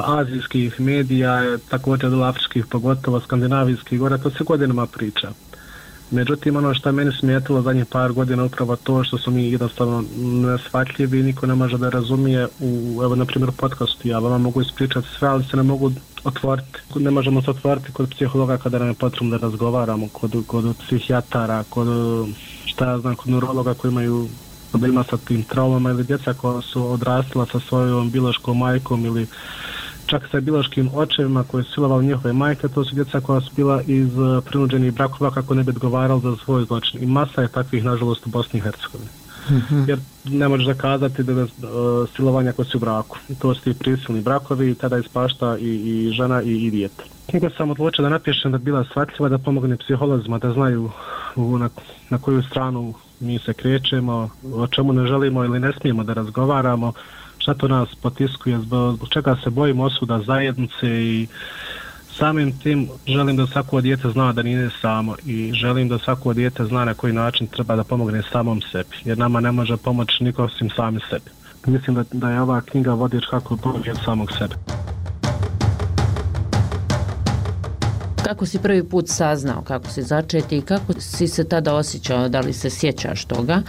azijskih medija, također od afričkih, pogotovo skandinavijskih, gore, to se godinama priča. Međutim, ono što je meni smetilo zadnjih par godina upravo to što su mi jednostavno neshvatljivi i niko ne može da razumije evo, na primjer, podcastu. Ja vama mogu ispričati sve, ali se ne mogu otvoriti. Ne možemo se otvoriti kod psihologa kada nam je potrebno da razgovaramo, kod psihijatara, kod neurologa koji imaju problema sa tim traumama, ili djeca koja su odrastala sa svojom biološkom majkom ili čak sa biološkim očevima koji su silovali njihove majke. To su djeca koja su bila iz prinuđenih brakova kako ne bi odgovarali za svoj zločin. I masa je takvih, nažalost, u Bosni i Hercegovini. jer ne možeš zakazati da silovanja koji su u braku. To su ti prisilni brakovi, tada ispašta i žena i dijete. Knjigu sam odlučio da napišem da bi bila shvatljiva, da pomogne psiholozima, da znaju na koju stranu mi se krećemo, o čemu ne želimo ili ne smijemo da razgovaramo, šta to nas potiskuje, zbog čega se bojimo osuda zajednice i samim tim želim da svako dijete zna da nije samo i želim da svako dijete zna na koji način treba da pomogne samom sebi, jer nama ne može pomoći niko osim sami sebi. Mislim da je ova knjiga vodič kako pomoći od samog sebe. Kako si prvi put saznao kako si začeti i kako si se tada osjećao, da li se sjećaš toga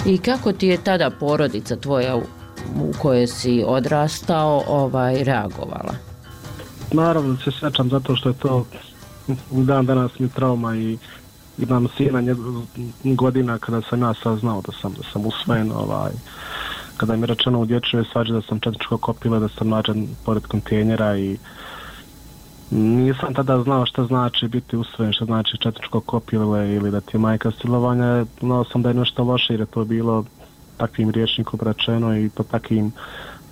i kako ti je tada porodica tvoja u kojoj si odrastao reagovala? Naravno se sjećam zato što je to u dan danas mi trauma i imam sina godina kada sam ja saznao da sam usvojen, kada mi je rečeno u dječjoj svađi da sam četničko kopila, da sam nađen pored kontejnera i nisam tada znao šta znači biti usvojen, šta znači četničko kopile ili da ti je majka silovanja. Znao sam da je nešto loše jer je to bilo takvim rječnikom rečeno i to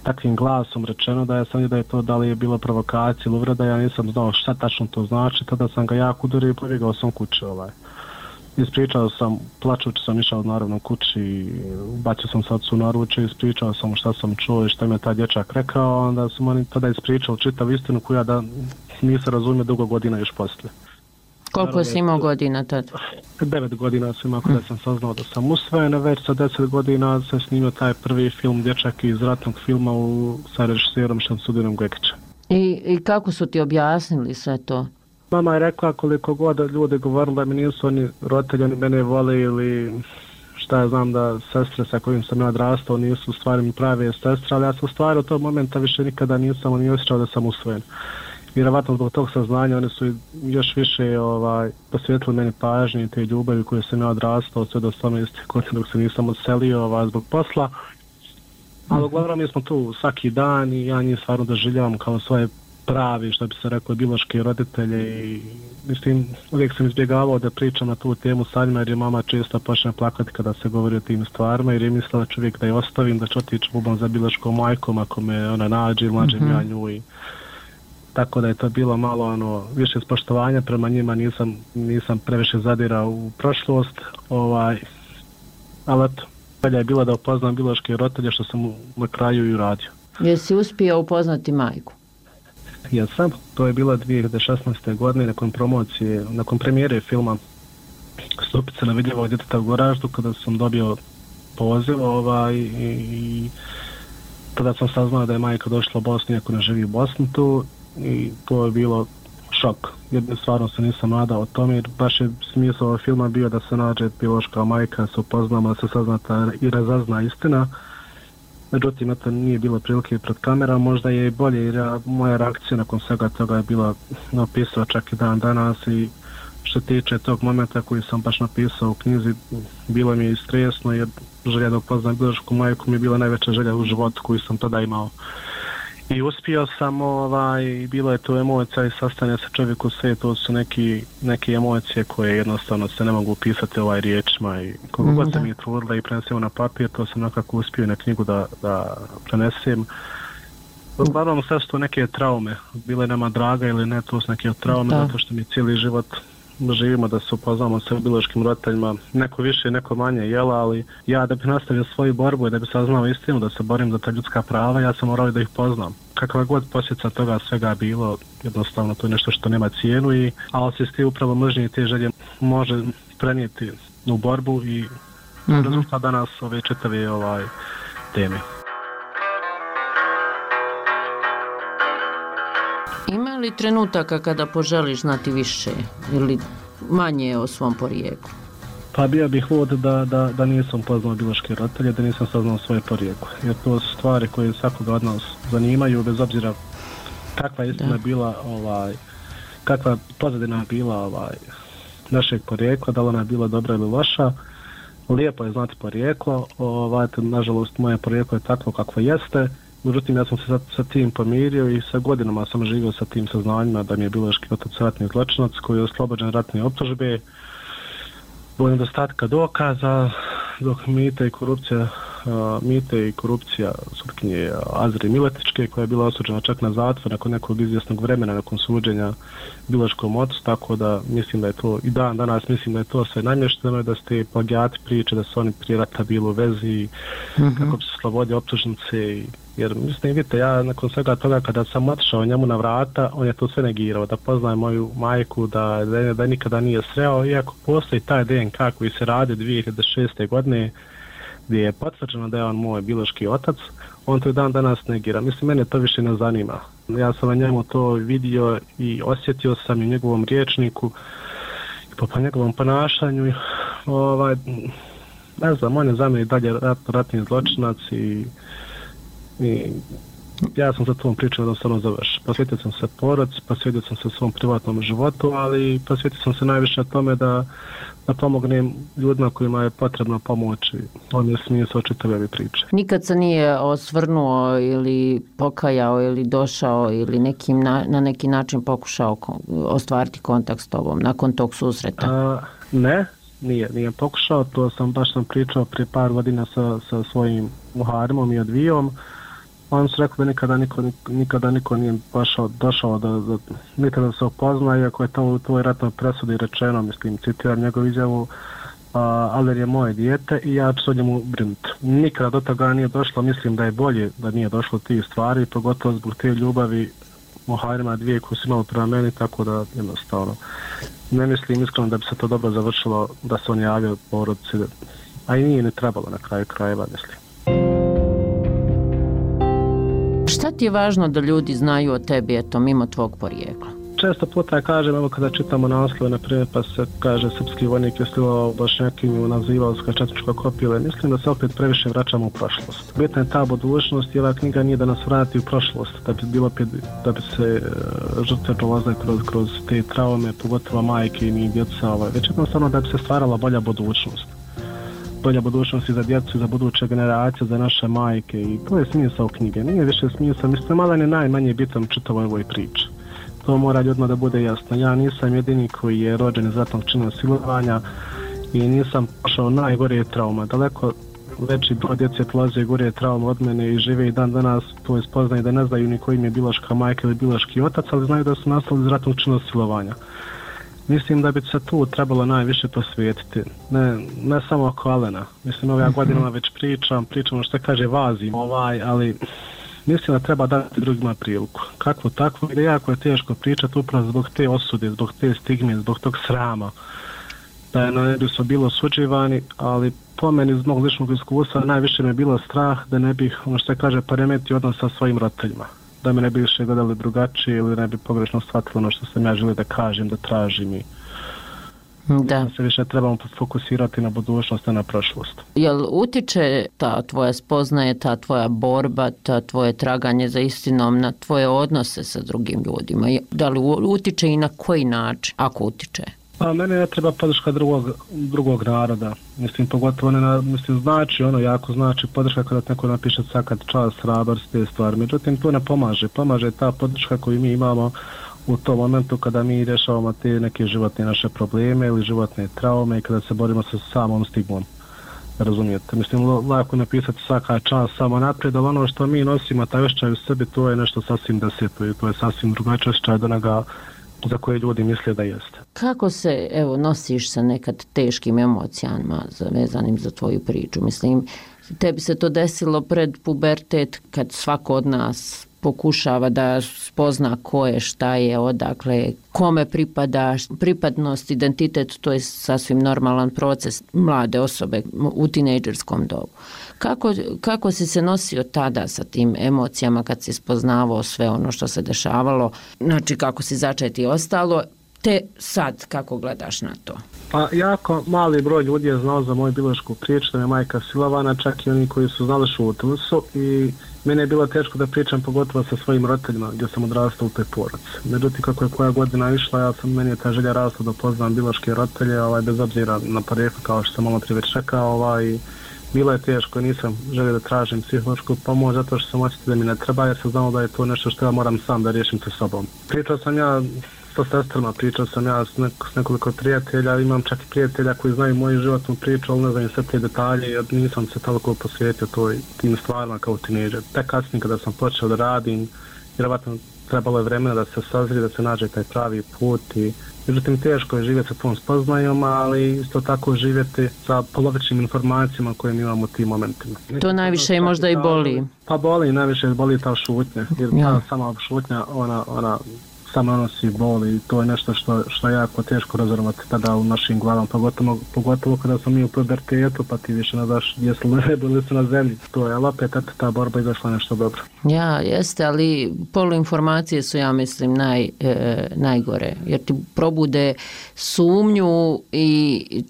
takvim glasom rečeno da je to da li je bilo provokacija ili uvreda, ja nisam znao šta tačno to znači, tada sam ga jako udario i pobjegao sam kući. Ispričao sam, plačući sam išao naravno kući, bacio sam se ocu na ruče, ispričao sam šta sam čuo i šta mi je taj dječak rekao, onda sam oni tada ispričao čitav istinu koju ja da nisam razumio dugo godina još poslije. Koliko si imao godina tada? 9 godina sam imao kada sam saznao da sam usvojen, već sa 10 godina sam snimio taj prvi film Dječak iz ratnog filma sa režiserom Šamsudinom Gekićem. I kako su ti objasnili sve to? Mama je rekla koliko god ljudi govorili da mi nisu oni roditelji, oni mene vole ili šta ja znam da sestre sa kojim sam ja odrastao nisu u stvari mi prave sestre, ali ja sam u stvari od tog momenta više nikada nisam ni osjećao da sam usvojen. Vjerovatno zbog tog saznanja oni su još više posvetili meni pažnje i te ljubavi koje sam ja odrastao sve do 18 godina dok se nisam odselio zbog posla. Ali uglavnom mi smo tu svaki dan i ja njih stvarno doživljavam kao svoje pravi, što bi se rekao, biološki roditelje i mislim, uvijek sam izbjegavao da pričam na tu temu sa njima jer je mama često počne plakati kada se govori o tim stvarima jer je mislila čovjek da je ostavim, da ću otići bubom za biološkom majkom ako me ona nađe ili nađem ja nju i tako da je to bilo malo više ispoštovanja prema njima, nisam previše zadirao u prošlost, ali eto, dalje je bilo da upoznam biološke roditelje što sam na kraju i uradio. Jesi uspio upoznati majku? Jesam, to je bilo 2016. godine nakon promocije, nakon premijere filma Stupice nevidljivog djeteta u Goraždu kada sam dobio poziv i tada sam saznao da je majka došla u Bosnu iako ne živi u Bosni tu i to je bilo šok. Jedne stvarno se nisam nadao o tome jer baš je smisao ovog filma bio da se nađe biološka majka, se upoznamo, da se saznata i razazna istina. Međutim, to nije bilo prilike pred kamerom, možda je i bolje jer moja reakcija nakon svega toga je bila napisao čak i dan danas i što tiče tog momenta koji sam baš napisao u knjizi, bilo mi je i stresno jer želja da upoznam biološku majku mi je bila najveća želja u životu koju sam tada imao. I uspio sam, bilo je to emocija i sastanje sa čovjeku sve, to su neke emocije koje jednostavno se ne mogu upisati riječima i koliko god sam ih trudila i prenesemo na papir, to sam nekako uspio na knjigu da prenesem. Uglavnom sve su to neke traume, bile nama draga ili ne, to su neke traume, zato što mi cijeli život živimo da se upoznamo sa biološkim roditeljima, neko više, neko manje, ali ja da bih nastavio svoju borbu i da bih saznao istinu, da se borim za ta ljudska prava, ja sam morao da ih poznam. Kakva god posljedica toga svega bilo, jednostavno to je nešto što nema cijenu, ali se s ti upravo mržnje i te želje može prenijeti u borbu i rezultat danas ove čitave teme. Ima li trenutaka kada poželiš znati više ili manje o svom porijeklu? Pa bio bih lud da nisam poznao biološke roditelje, da nisam saznao svoje porijeklo. Jer to su stvari koje svakoga od nas zanimaju, bez obzira kakva istina bila, kakva pozadina bila našeg porijekla, da li ona je bila dobra ili loša. Lijepo je znati porijeklo, nažalost moje porijeklo je takvo kakvo jeste. Međutim, ja sam se sa tim pomirio i sa godinama sam živio sa tim saznanjima da mi je biološki otac ratni zločinac koji je oslobođen ratne optužbe. Zbog nedostatka dokaza dok mite i korupcija sutkinje Azri Miletičke, koja je bila osuđena čak na zatvor nakon nekog izvjesnog vremena nakon suđenja biološkom ocu, tako da mislim da je to i danas mislim da je to sve namješteno i da ste plagijati priče da su oni prije rata bili u vezi kako bi se slobodili optužnice. Jer mislim, vidite, ja nakon svega toga kada sam otišao njemu na vrata, on je to sve negirao, da poznaje moju majku, da nikada nije sreo, iako postoji taj DNK koji se radi 2006. godine gdje je potvrđeno da je on moj biološki otac, on to i dan danas negira. Mislim, mene to više ne zanima. Ja sam na njemu to vidio i osjetio sam i njegovom riječniku i po njegovom ponašanju. Ne znam, on je za mene dalje ratni zločinac i ja sam za tom pričao da sam završio. Posvetio sam se porodici, posvetio sam se svom privatnom životu, ali posvetio sam se najviše tome da pomognem ljudima kojima je potrebna pomoć. On je smisao čitave ove priče. Nikad se nije osvrnuo ili pokajao ili došao ili na neki način pokušao ostvariti kontakt s tobom nakon tog susreta? Ne, nije pokušao. To sam pričao prije par godina sa svojim Muharimom i Advijom. On su rekao da nikada niko nije došao da nikada da se upozna, iako je to u tvojoj ratnoj presudi rečeno, mislim, citiram njegovu izjavu, Aler je moje dijete i ja ću o njemu brinuti. Nikada do toga nije došlo, mislim da je bolje da nije došlo tih stvari, pogotovo zbog te ljubavi Muharima dvije koje su imali prema meni, tako da jednostavno ne mislim iskreno da bi se to dobro završilo da se on javio porodici, a i nije ni trebalo na kraju krajeva, mislim. Šta ti je važno da ljudi znaju o tebi, eto, mimo tvog porijekla? Često puta kažem, evo kada čitamo naslove, na primjer, pa se kaže srpski vojnik je stilao Bošnjakinju, nazivao se četničko kopile. Mislim da se opet previše vraćamo u prošlost. Bitna je ta budućnost i ova knjiga nije da nas vrati u prošlost, da bi se žrtve prolazile kroz te traume, pogotovo majke i djeca, već jednostavno da bi se stvarala bolja budućnost. Bolja budućnost i za djecu, i za buduće generacije, za naše majke i to je smisao knjige. Nije više smisao, mislim, malo je najmanje bitan čitavoj ovoj priči. To mora ljudima da bude jasno. Ja nisam jedini koji je rođen iz ratnog čina silovanja i nisam pošao najgorije trauma. Daleko veći broj djece prolaze gore trauma od mene i žive i dan danas to spoznaju da ne znaju ni koji im je biološka majka ili biološki otac, ali znaju da su nastali iz ratnog čina silovanja. Mislim da bi se tu trebalo najviše posvetiti, ne samo oko Alena. Mislim, ove godinama već pričam što kaže vazim, ali mislim da treba dati drugima priliku. Kakvo takvo, jer jako je teško pričati upravo zbog te osude, zbog te stigme, zbog tog srama. Da ne bi su bilo osuđivani, ali po meni iz mog ličnog iskustva najviše me bilo strah da ne bih, poremetio odnos sa svojim roditeljima. Da me ne bi više gledali drugačije ili ne bi pogrešno shvatili ono što sam ja želio da kažem, da tražim i da se više trebamo fokusirati na budućnost, a na prošlost. Jel utiče ta tvoja spoznaje, ta tvoja borba, ta tvoje traganje za istinom na tvoje odnose sa drugim ljudima? Da li utiče i na koji način, ako utiče? Pa mene ne treba podrška drugog naroda. Mislim, pogotovo znači jako znači podrška kada neko napiše svaka čast, hrabrost, te stvari. Međutim, to ne pomaže. Pomaže ta podrška koju mi imamo u tom momentu kada mi rješavamo te neke životne naše probleme ili životne traume i kada se borimo sa samom stigmom. Razumijete? Mislim, lako napisati svaka čast samo naprijed, ali ono što mi nosimo, taj osjećaj u sebi, to je nešto sasvim deseto i to je sasvim drugačiji osjećaj od onoga za koje ljudi misle da jeste. Kako se, nosiš sa nekad teškim emocijama vezanim za tvoju priču? Mislim, tebi se to desilo pred pubertet kad svako od nas pokušava da spozna ko je, šta je, odakle, kome pripada, pripadnost, identitet, to je sasvim normalan proces mlade osobe u tinejdžerskom dobu. Kako si se nosio tada sa tim emocijama kad si spoznavao sve ono što se dešavalo, znači kako si začet i ostalo, te sad kako gledaš na to? Pa jako mali broj ljudi je znao za moju biološku priču, da je majka silovana, čak i oni koji su znali šutili su i mene je bilo teško da pričam pogotovo sa svojim roditeljima gdje sam odrastao u toj porodici. Međutim, kako je koja godina išla, meni je ta želja rasla da poznam biološke roditelje, bez obzira na porijeklo, kao što sam malo prije već rekao, bilo je teško, nisam želio da tražim psihološku pomoć zato što sam osjetio da mi ne treba jer sam znao da je to nešto što ja moram sam da riješim sa sobom. Pričao sam ja sa sestrama, pričao sam ja s nekoliko prijatelja, imam čak i prijatelja koji znaju moju životnu priču, ali ne znam sve te detalje, jer nisam se toliko posvetio tim stvarima kao tinejdžer. Tek kasnije kada sam počeo da radim, vjerovatno trebalo je vremena da se sazrije, da se nađe taj pravi put i međutim teško je živjeti sa tom spoznajom, ali isto tako živjeti sa polovičnim informacijama koje mi imamo u tim momentima. To najviše i možda i boli. Pa boli, najviše boli ta šutnja, jer ta sama šutnja, ona samo nosi bol i to je nešto što je jako teško razorvati tada u našim glavama, pogotovo kada smo mi u pubertetu, pa ti više ne znaš jesu li na nebu ili su na zemlji. To je, ali opet ta borba izašla nešto dobro. Ja, jeste, ali poluinformacije su, ja mislim, najgore, jer ti probude sumnju i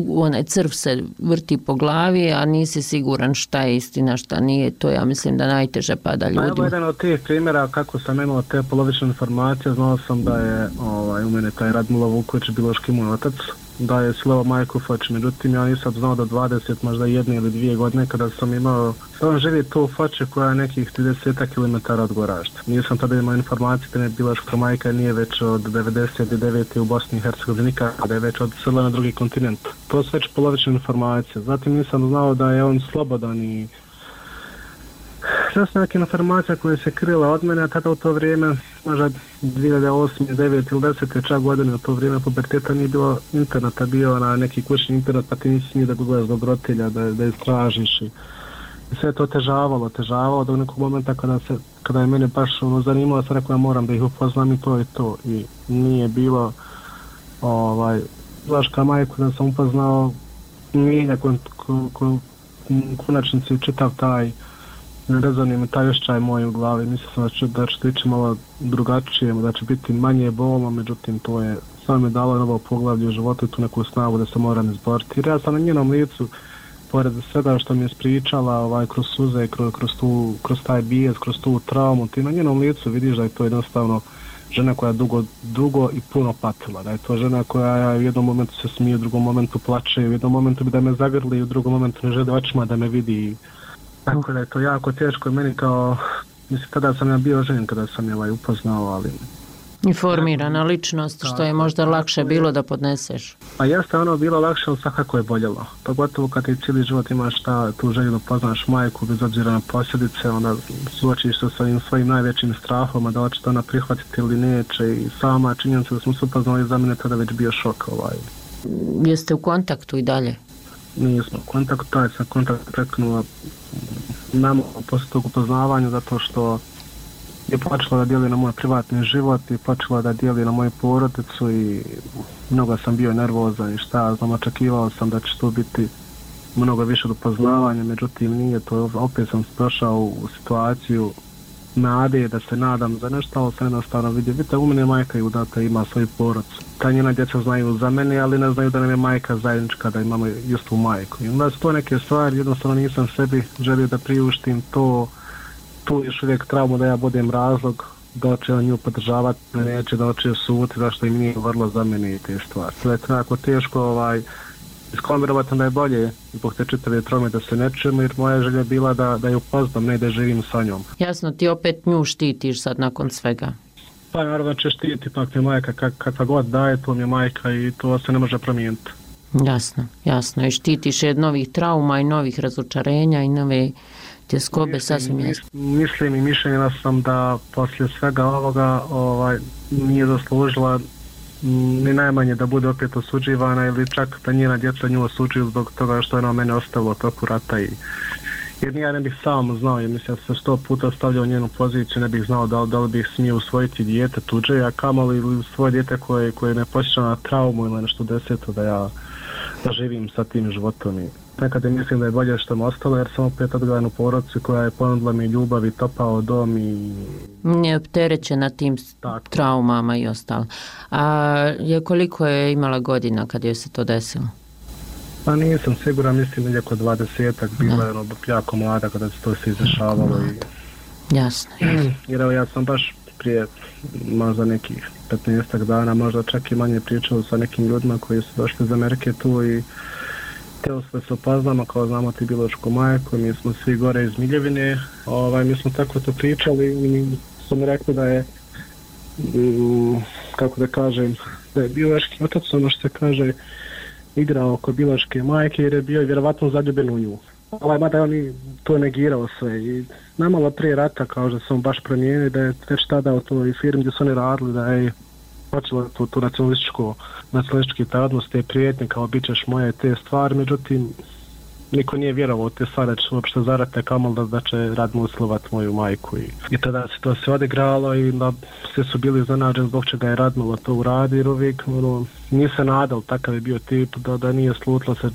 onaj crv se vrti po glavi, a nisi siguran šta je istina, šta nije. To ja mislim da najteže pada ljudima. Evo jedan od tih primjera kako sam imao te polovične informacije, znao sam da je u mene taj Radmilo Vuković, biološki moj otac, da je silovao majku Foč, međutim ja nisam znao do 20, možda 1 ili 2 godine kada sam imao, on živi tu u Foči koja je nekih 30 km od Goražda. Nisam tada imao informacije da je biološka majka nije već od 99. u Bosni i Hercegovini, kada je već odselila na drugi kontinent. To su već polovične informacije. Zatim nisam znao da je on slobodan i sve su neke informacije koje se krila od mene, a tada u to vrijeme, možda 2008, 2009 ili 10. čak godine, u to vrijeme puberteta nije bilo interneta, bio na neki kućni internet, pa ti nisi smio da gledaš do roditelja, da istražiš i sve to težavalo do nekog momenta kada je mene baš zanimalo, sam rekao ja moram da ih upoznam i to je to. I nije bilo Vlaška majku da sam upoznao, nije konačnici čitav taj rezonio mi taj osjećaj moj u glavi, mislio sam da će ići malo drugačije, da će biti manje bolno, međutim to je samo mi dalo novo poglavlje u životu i tu neku snagu da se moram izboriti. Jer ja sam na njenom licu, pored svega što mi je spričala kroz suze, kroz taj bijes, kroz tu traumu, ti na njenom licu vidiš da je to jednostavno žena koja je dugo i puno patila, da je to žena koja u jednom momentu se smije, u drugom momentu plače, u jednom momentu bi da me zagrli, u drugom momentu ne želi očima da me vidi. Tako da je to jako teško meni kao, mislim, tada sam ja bio ženjen kada sam je upoznao, ali... Informirana ličnost, što je možda lakše bilo da podneseš. Pa jeste ono bilo lakše, ali svakako je boljelo. Pogotovo kad ti cijeli život imaš tu želju da poznaš majku, bez obzira na posljedice, onda suočiš se sa svojim najvećim strahom, da hoće to ona prihvatiti ili neće i sama činjenica da smo se upoznali za mene tada već bio šok. Jeste u kontaktu i dalje? Nismo u kontaktu, taj sam kontakt prekinula nama posle tog upoznavanja zato što je počela da dijeli na moj privatni život i počela da dijeli na moju porodicu i mnogo sam bio nervozan i šta znam, očekivao sam da će to biti mnogo više upoznavanja, međutim nije to, opet sam došao u situaciju nade da se nadam za nešto, ali sam jednostavno vidio, vidite, u mene majka je udata, ima svoju porodicu. Ta njena djeca znaju za mene, ali ne znaju da nam je majka zajednička, da imamo istu majku. I onda su to neke stvari, jednostavno nisam sebi želio da priuštim to, tu još uvijek traumu da ja budem razlog da će on nju podržavati, neće da će suditi, zašto im nije vrlo za mene i te stvari. To je tako teško iskombinirati da je bolje zbog te čitave traume da se ne čujemo, jer moja želja je bila da je upoznam, ne da živim sa njom. Jasno, ti opet nju štitiš sad nakon svega. Pa naravno će štiti, pak mi majka kakva god daje, to mi je majka i to se ne može promijeniti. Jasno. I štitiš je od novih trauma i novih razočarenja i nove tjeskobe, sasvim jasno. Mislim i mišljenja sam da poslije svega ovoga nije zaslužila ni najmanje da bude opet osuđivana ili čak da njena djeca nju osuđuju zbog toga što je ona mene ostavila u toku rata jer ja ne bih sam znao, jer mislim da se 100 puta stavljao u njenu poziciju, ne bih znao da li bih smio usvojiti dijete tuđe, a kamoli ili svoje dijete koje me posjeća na traumu ili nešto deseto da živim sa tim životom. I nekada mislim da je bolje što me ostalo, jer sam opet odgledan u porodicu koja je ponudila mi ljubav i topao dom i... Nije opterećena tim traumama i ostalo. A koliko je imala godina kad joj se to desilo? Pa nisam siguran, mislim da je oko 20-ak, bila je jako mlada kada se to se izdešavalo. Jasno. Jer evo ja sam baš prije možda nekih 15 dana, možda čak i manje pričao sa nekim ljudima koji su došli iz Amerike tu i teo sve se upoznamo, kao znamo ti biološku majku, mi smo svi gore iz Miljevine, mi smo tako to pričali i su mi rekli da je kako da kažem, da je biološki otac, ono što se kaže, igrao oko biološke majke jer je bio vjerovatno zaljubljen u nju. Mada on i to negirao sve i namalo prije rata kao da sam baš promijenio da je već tada u toj firmi gdje su oni radili da je počelo tu nacionalistički tadnost, te prijetnje kao bit ćeš moje te stvari, međutim niko nije vjerovao te stvari da će uopšte zarate kamol da će Radmil silovat moju majku i tada se to sve odigralo i da svi su bili iznenađeni zbog čega je Radmil to uradio jer uvijek nije se nadal, takav je bio tip da nije slutilo se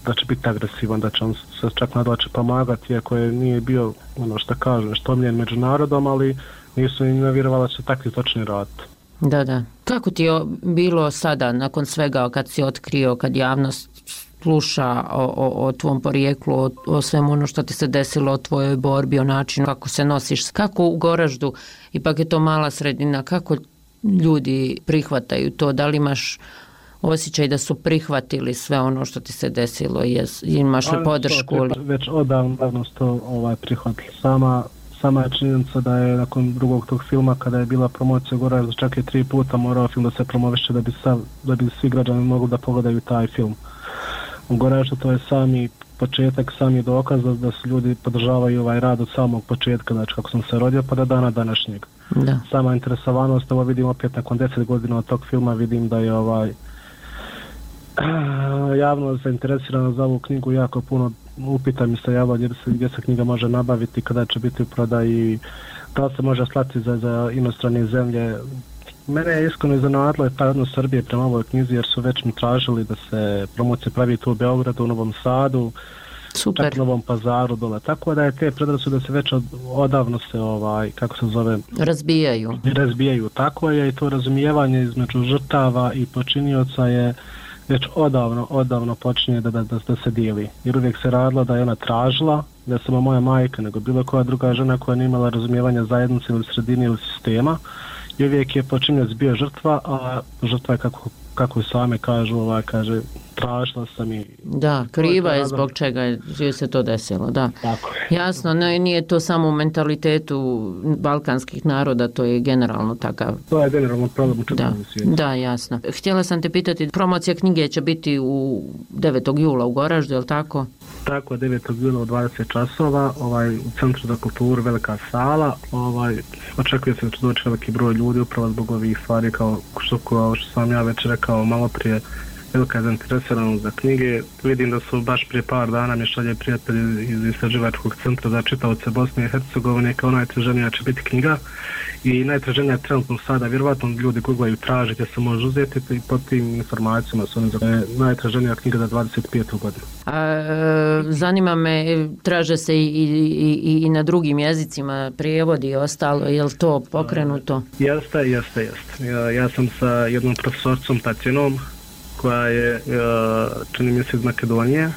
da će biti agresivan, da će on se čak nadal će pomagati iako je nije bio što kažem što omiljen među narodom, ali nisu im vjerovali da će takvi točni raditi. Da. Kako ti je bilo sada nakon svega kad si otkrio, kad javnost sluša o tvom porijeklu, o svemu ono što ti se desilo, o tvojoj borbi, o načinu kako se nosiš, kako u Goraždu, ipak je to mala sredina, kako ljudi prihvataju to, da li imaš osjećaj da su prihvatili sve ono što ti se desilo, imaš li podršku? Već odavno su to prihvatili. Sama je činjenica da je nakon drugog tog filma, kada je bila promocija Goražda, čak je 3 puta morao film da se promoviše da bi svi građani mogli da pogledaju taj film. U Goraždu to je sami početak, sami dokaz da su ljudi podržavaju ovaj rad od samog početka, znači kako sam se rodio pa do dana današnjeg. Da. Sama interesovanost, ovo vidim opet nakon 10 godina od tog filma, vidim da je javno zainteresirano za ovu knjigu, jako puno upita mi se javlja gdje se knjiga može nabaviti, kada će biti u prodaji, da li se može slati za inostrane zemlje. Mene je iskreno iznenadilo taj odnos Srbije prema ovoj knjizi jer su već mi tražili da se promocija pravi tu u Beogradu, u Novom Sadu, Super. čak u Novom Pazaru dole. Tako da je te predrasude se već odavno se razbijaju. Tako je i to razumijevanje između žrtava i počinioca je već odavno počinje da se dijeli. Jer uvijek se radilo da je ona tražila, ne samo moja majka, nego bilo koja druga žena koja nije imala razumijevanja zajednice ili sredine ili sistema. I uvijek je počinioc bio žrtva, a žrtva je kako same kažu, kaže tražila sam i... Da, kriva je zbog čega je se to desilo, da. Tako je. Jasno, nije to samo u mentalitetu balkanskih naroda, to je generalno takav. To je generalno problem u čitavom svijetu. Da, jasno. Htjela sam te pitati, promocija knjige će biti u 9. jula u Goraždu, je li tako? Tako, 9. jula u 20 časova, u Centru za kulturu, velika sala, očekuje se da će doći veliki broj ljudi upravo zbog ovih stvari kao što sam ja već rekao malo prije, velika zainteresiranost za knjige. Vidim da su baš prije par dana mi šalje prijatelji iz Istraživačkog centra za čitaoce Bosne i Hercegovine kao najtraženija će biti knjiga i najtraženija je trenutno sada, vjerovatno ljudi googlaju tražiti se može uzeti i pod tim informacijama su najtraženija knjiga za 25. godinu. Zanima me, traže se i na drugim jezicima prijevodi i ostalo, je li to pokrenuto? Jeste. Ja sam sa jednom profesorcom Tatjanom koja je, čini mi se iz Makedonije,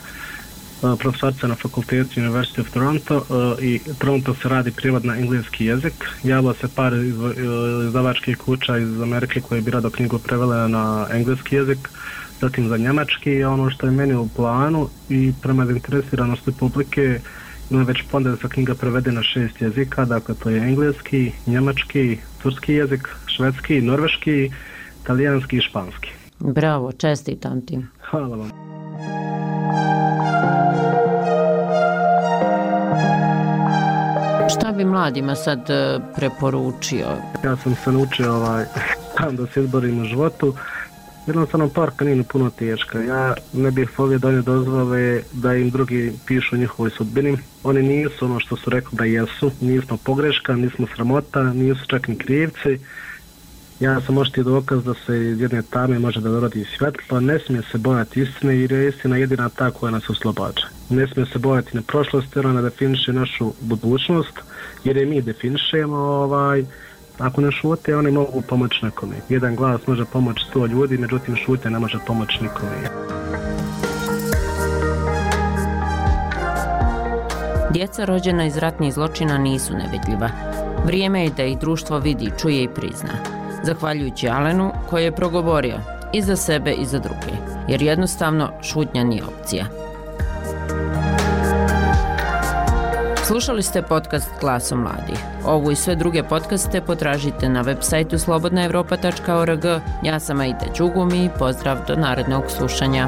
profesorca na fakultetu University of Toronto i Toronto se radi prijevod na engleski jezik. Javilo se par izdavačkih kuća iz Amerike koje bi rado knjigu prevele na engleski jezik, zatim za njemački, ono što je meni u planu i prema zainteresiranosti publike ima već ponda da se knjiga prevede na 6 jezika, dakle to je engleski, njemački, turski jezik, švedski, norveški, talijanski i španski. Bravo, čestitam ti. Hvala vam. Šta bi mladima sad preporučio? Ja sam se naučio da se izborim u životu. Jednostavno parka nije puno teška. Ja ne bih volio da oni dozvole da im drugi pišu o njihovoj sudbini. Oni nisu ono što su rekli da jesu. Nismo pogreška, nismo sramota, nisu čak ni krivci. Ja sam oštiji dokaz da se iz jedne tame može da dorodi svjetlo, ne smije se bojati istine jer je istina jedina ta koja nas oslobađa. Ne smije se bojati na prošlost jer ona definiše našu budućnost jer je mi definišemo. Ako ne šute, oni mogu pomoći nekome. Jedan glas može pomoći 100 ljudi, međutim šutnja ne može pomoći nikome. Djeca rođena iz ratnih zločina nisu nevidljiva. Vrijeme je da ih društvo vidi, čuje i prizna. Zahvaljujući Alenu koji je progovorio i za sebe i za druge, jer jednostavno šutnja nije opcija. Slušali ste podcast Glaso mladih. Ovu i sve druge podcaste potražite na web sajtu slobodnaevropa.org. Ja sam Aida Đugumi i pozdrav do narednog slušanja.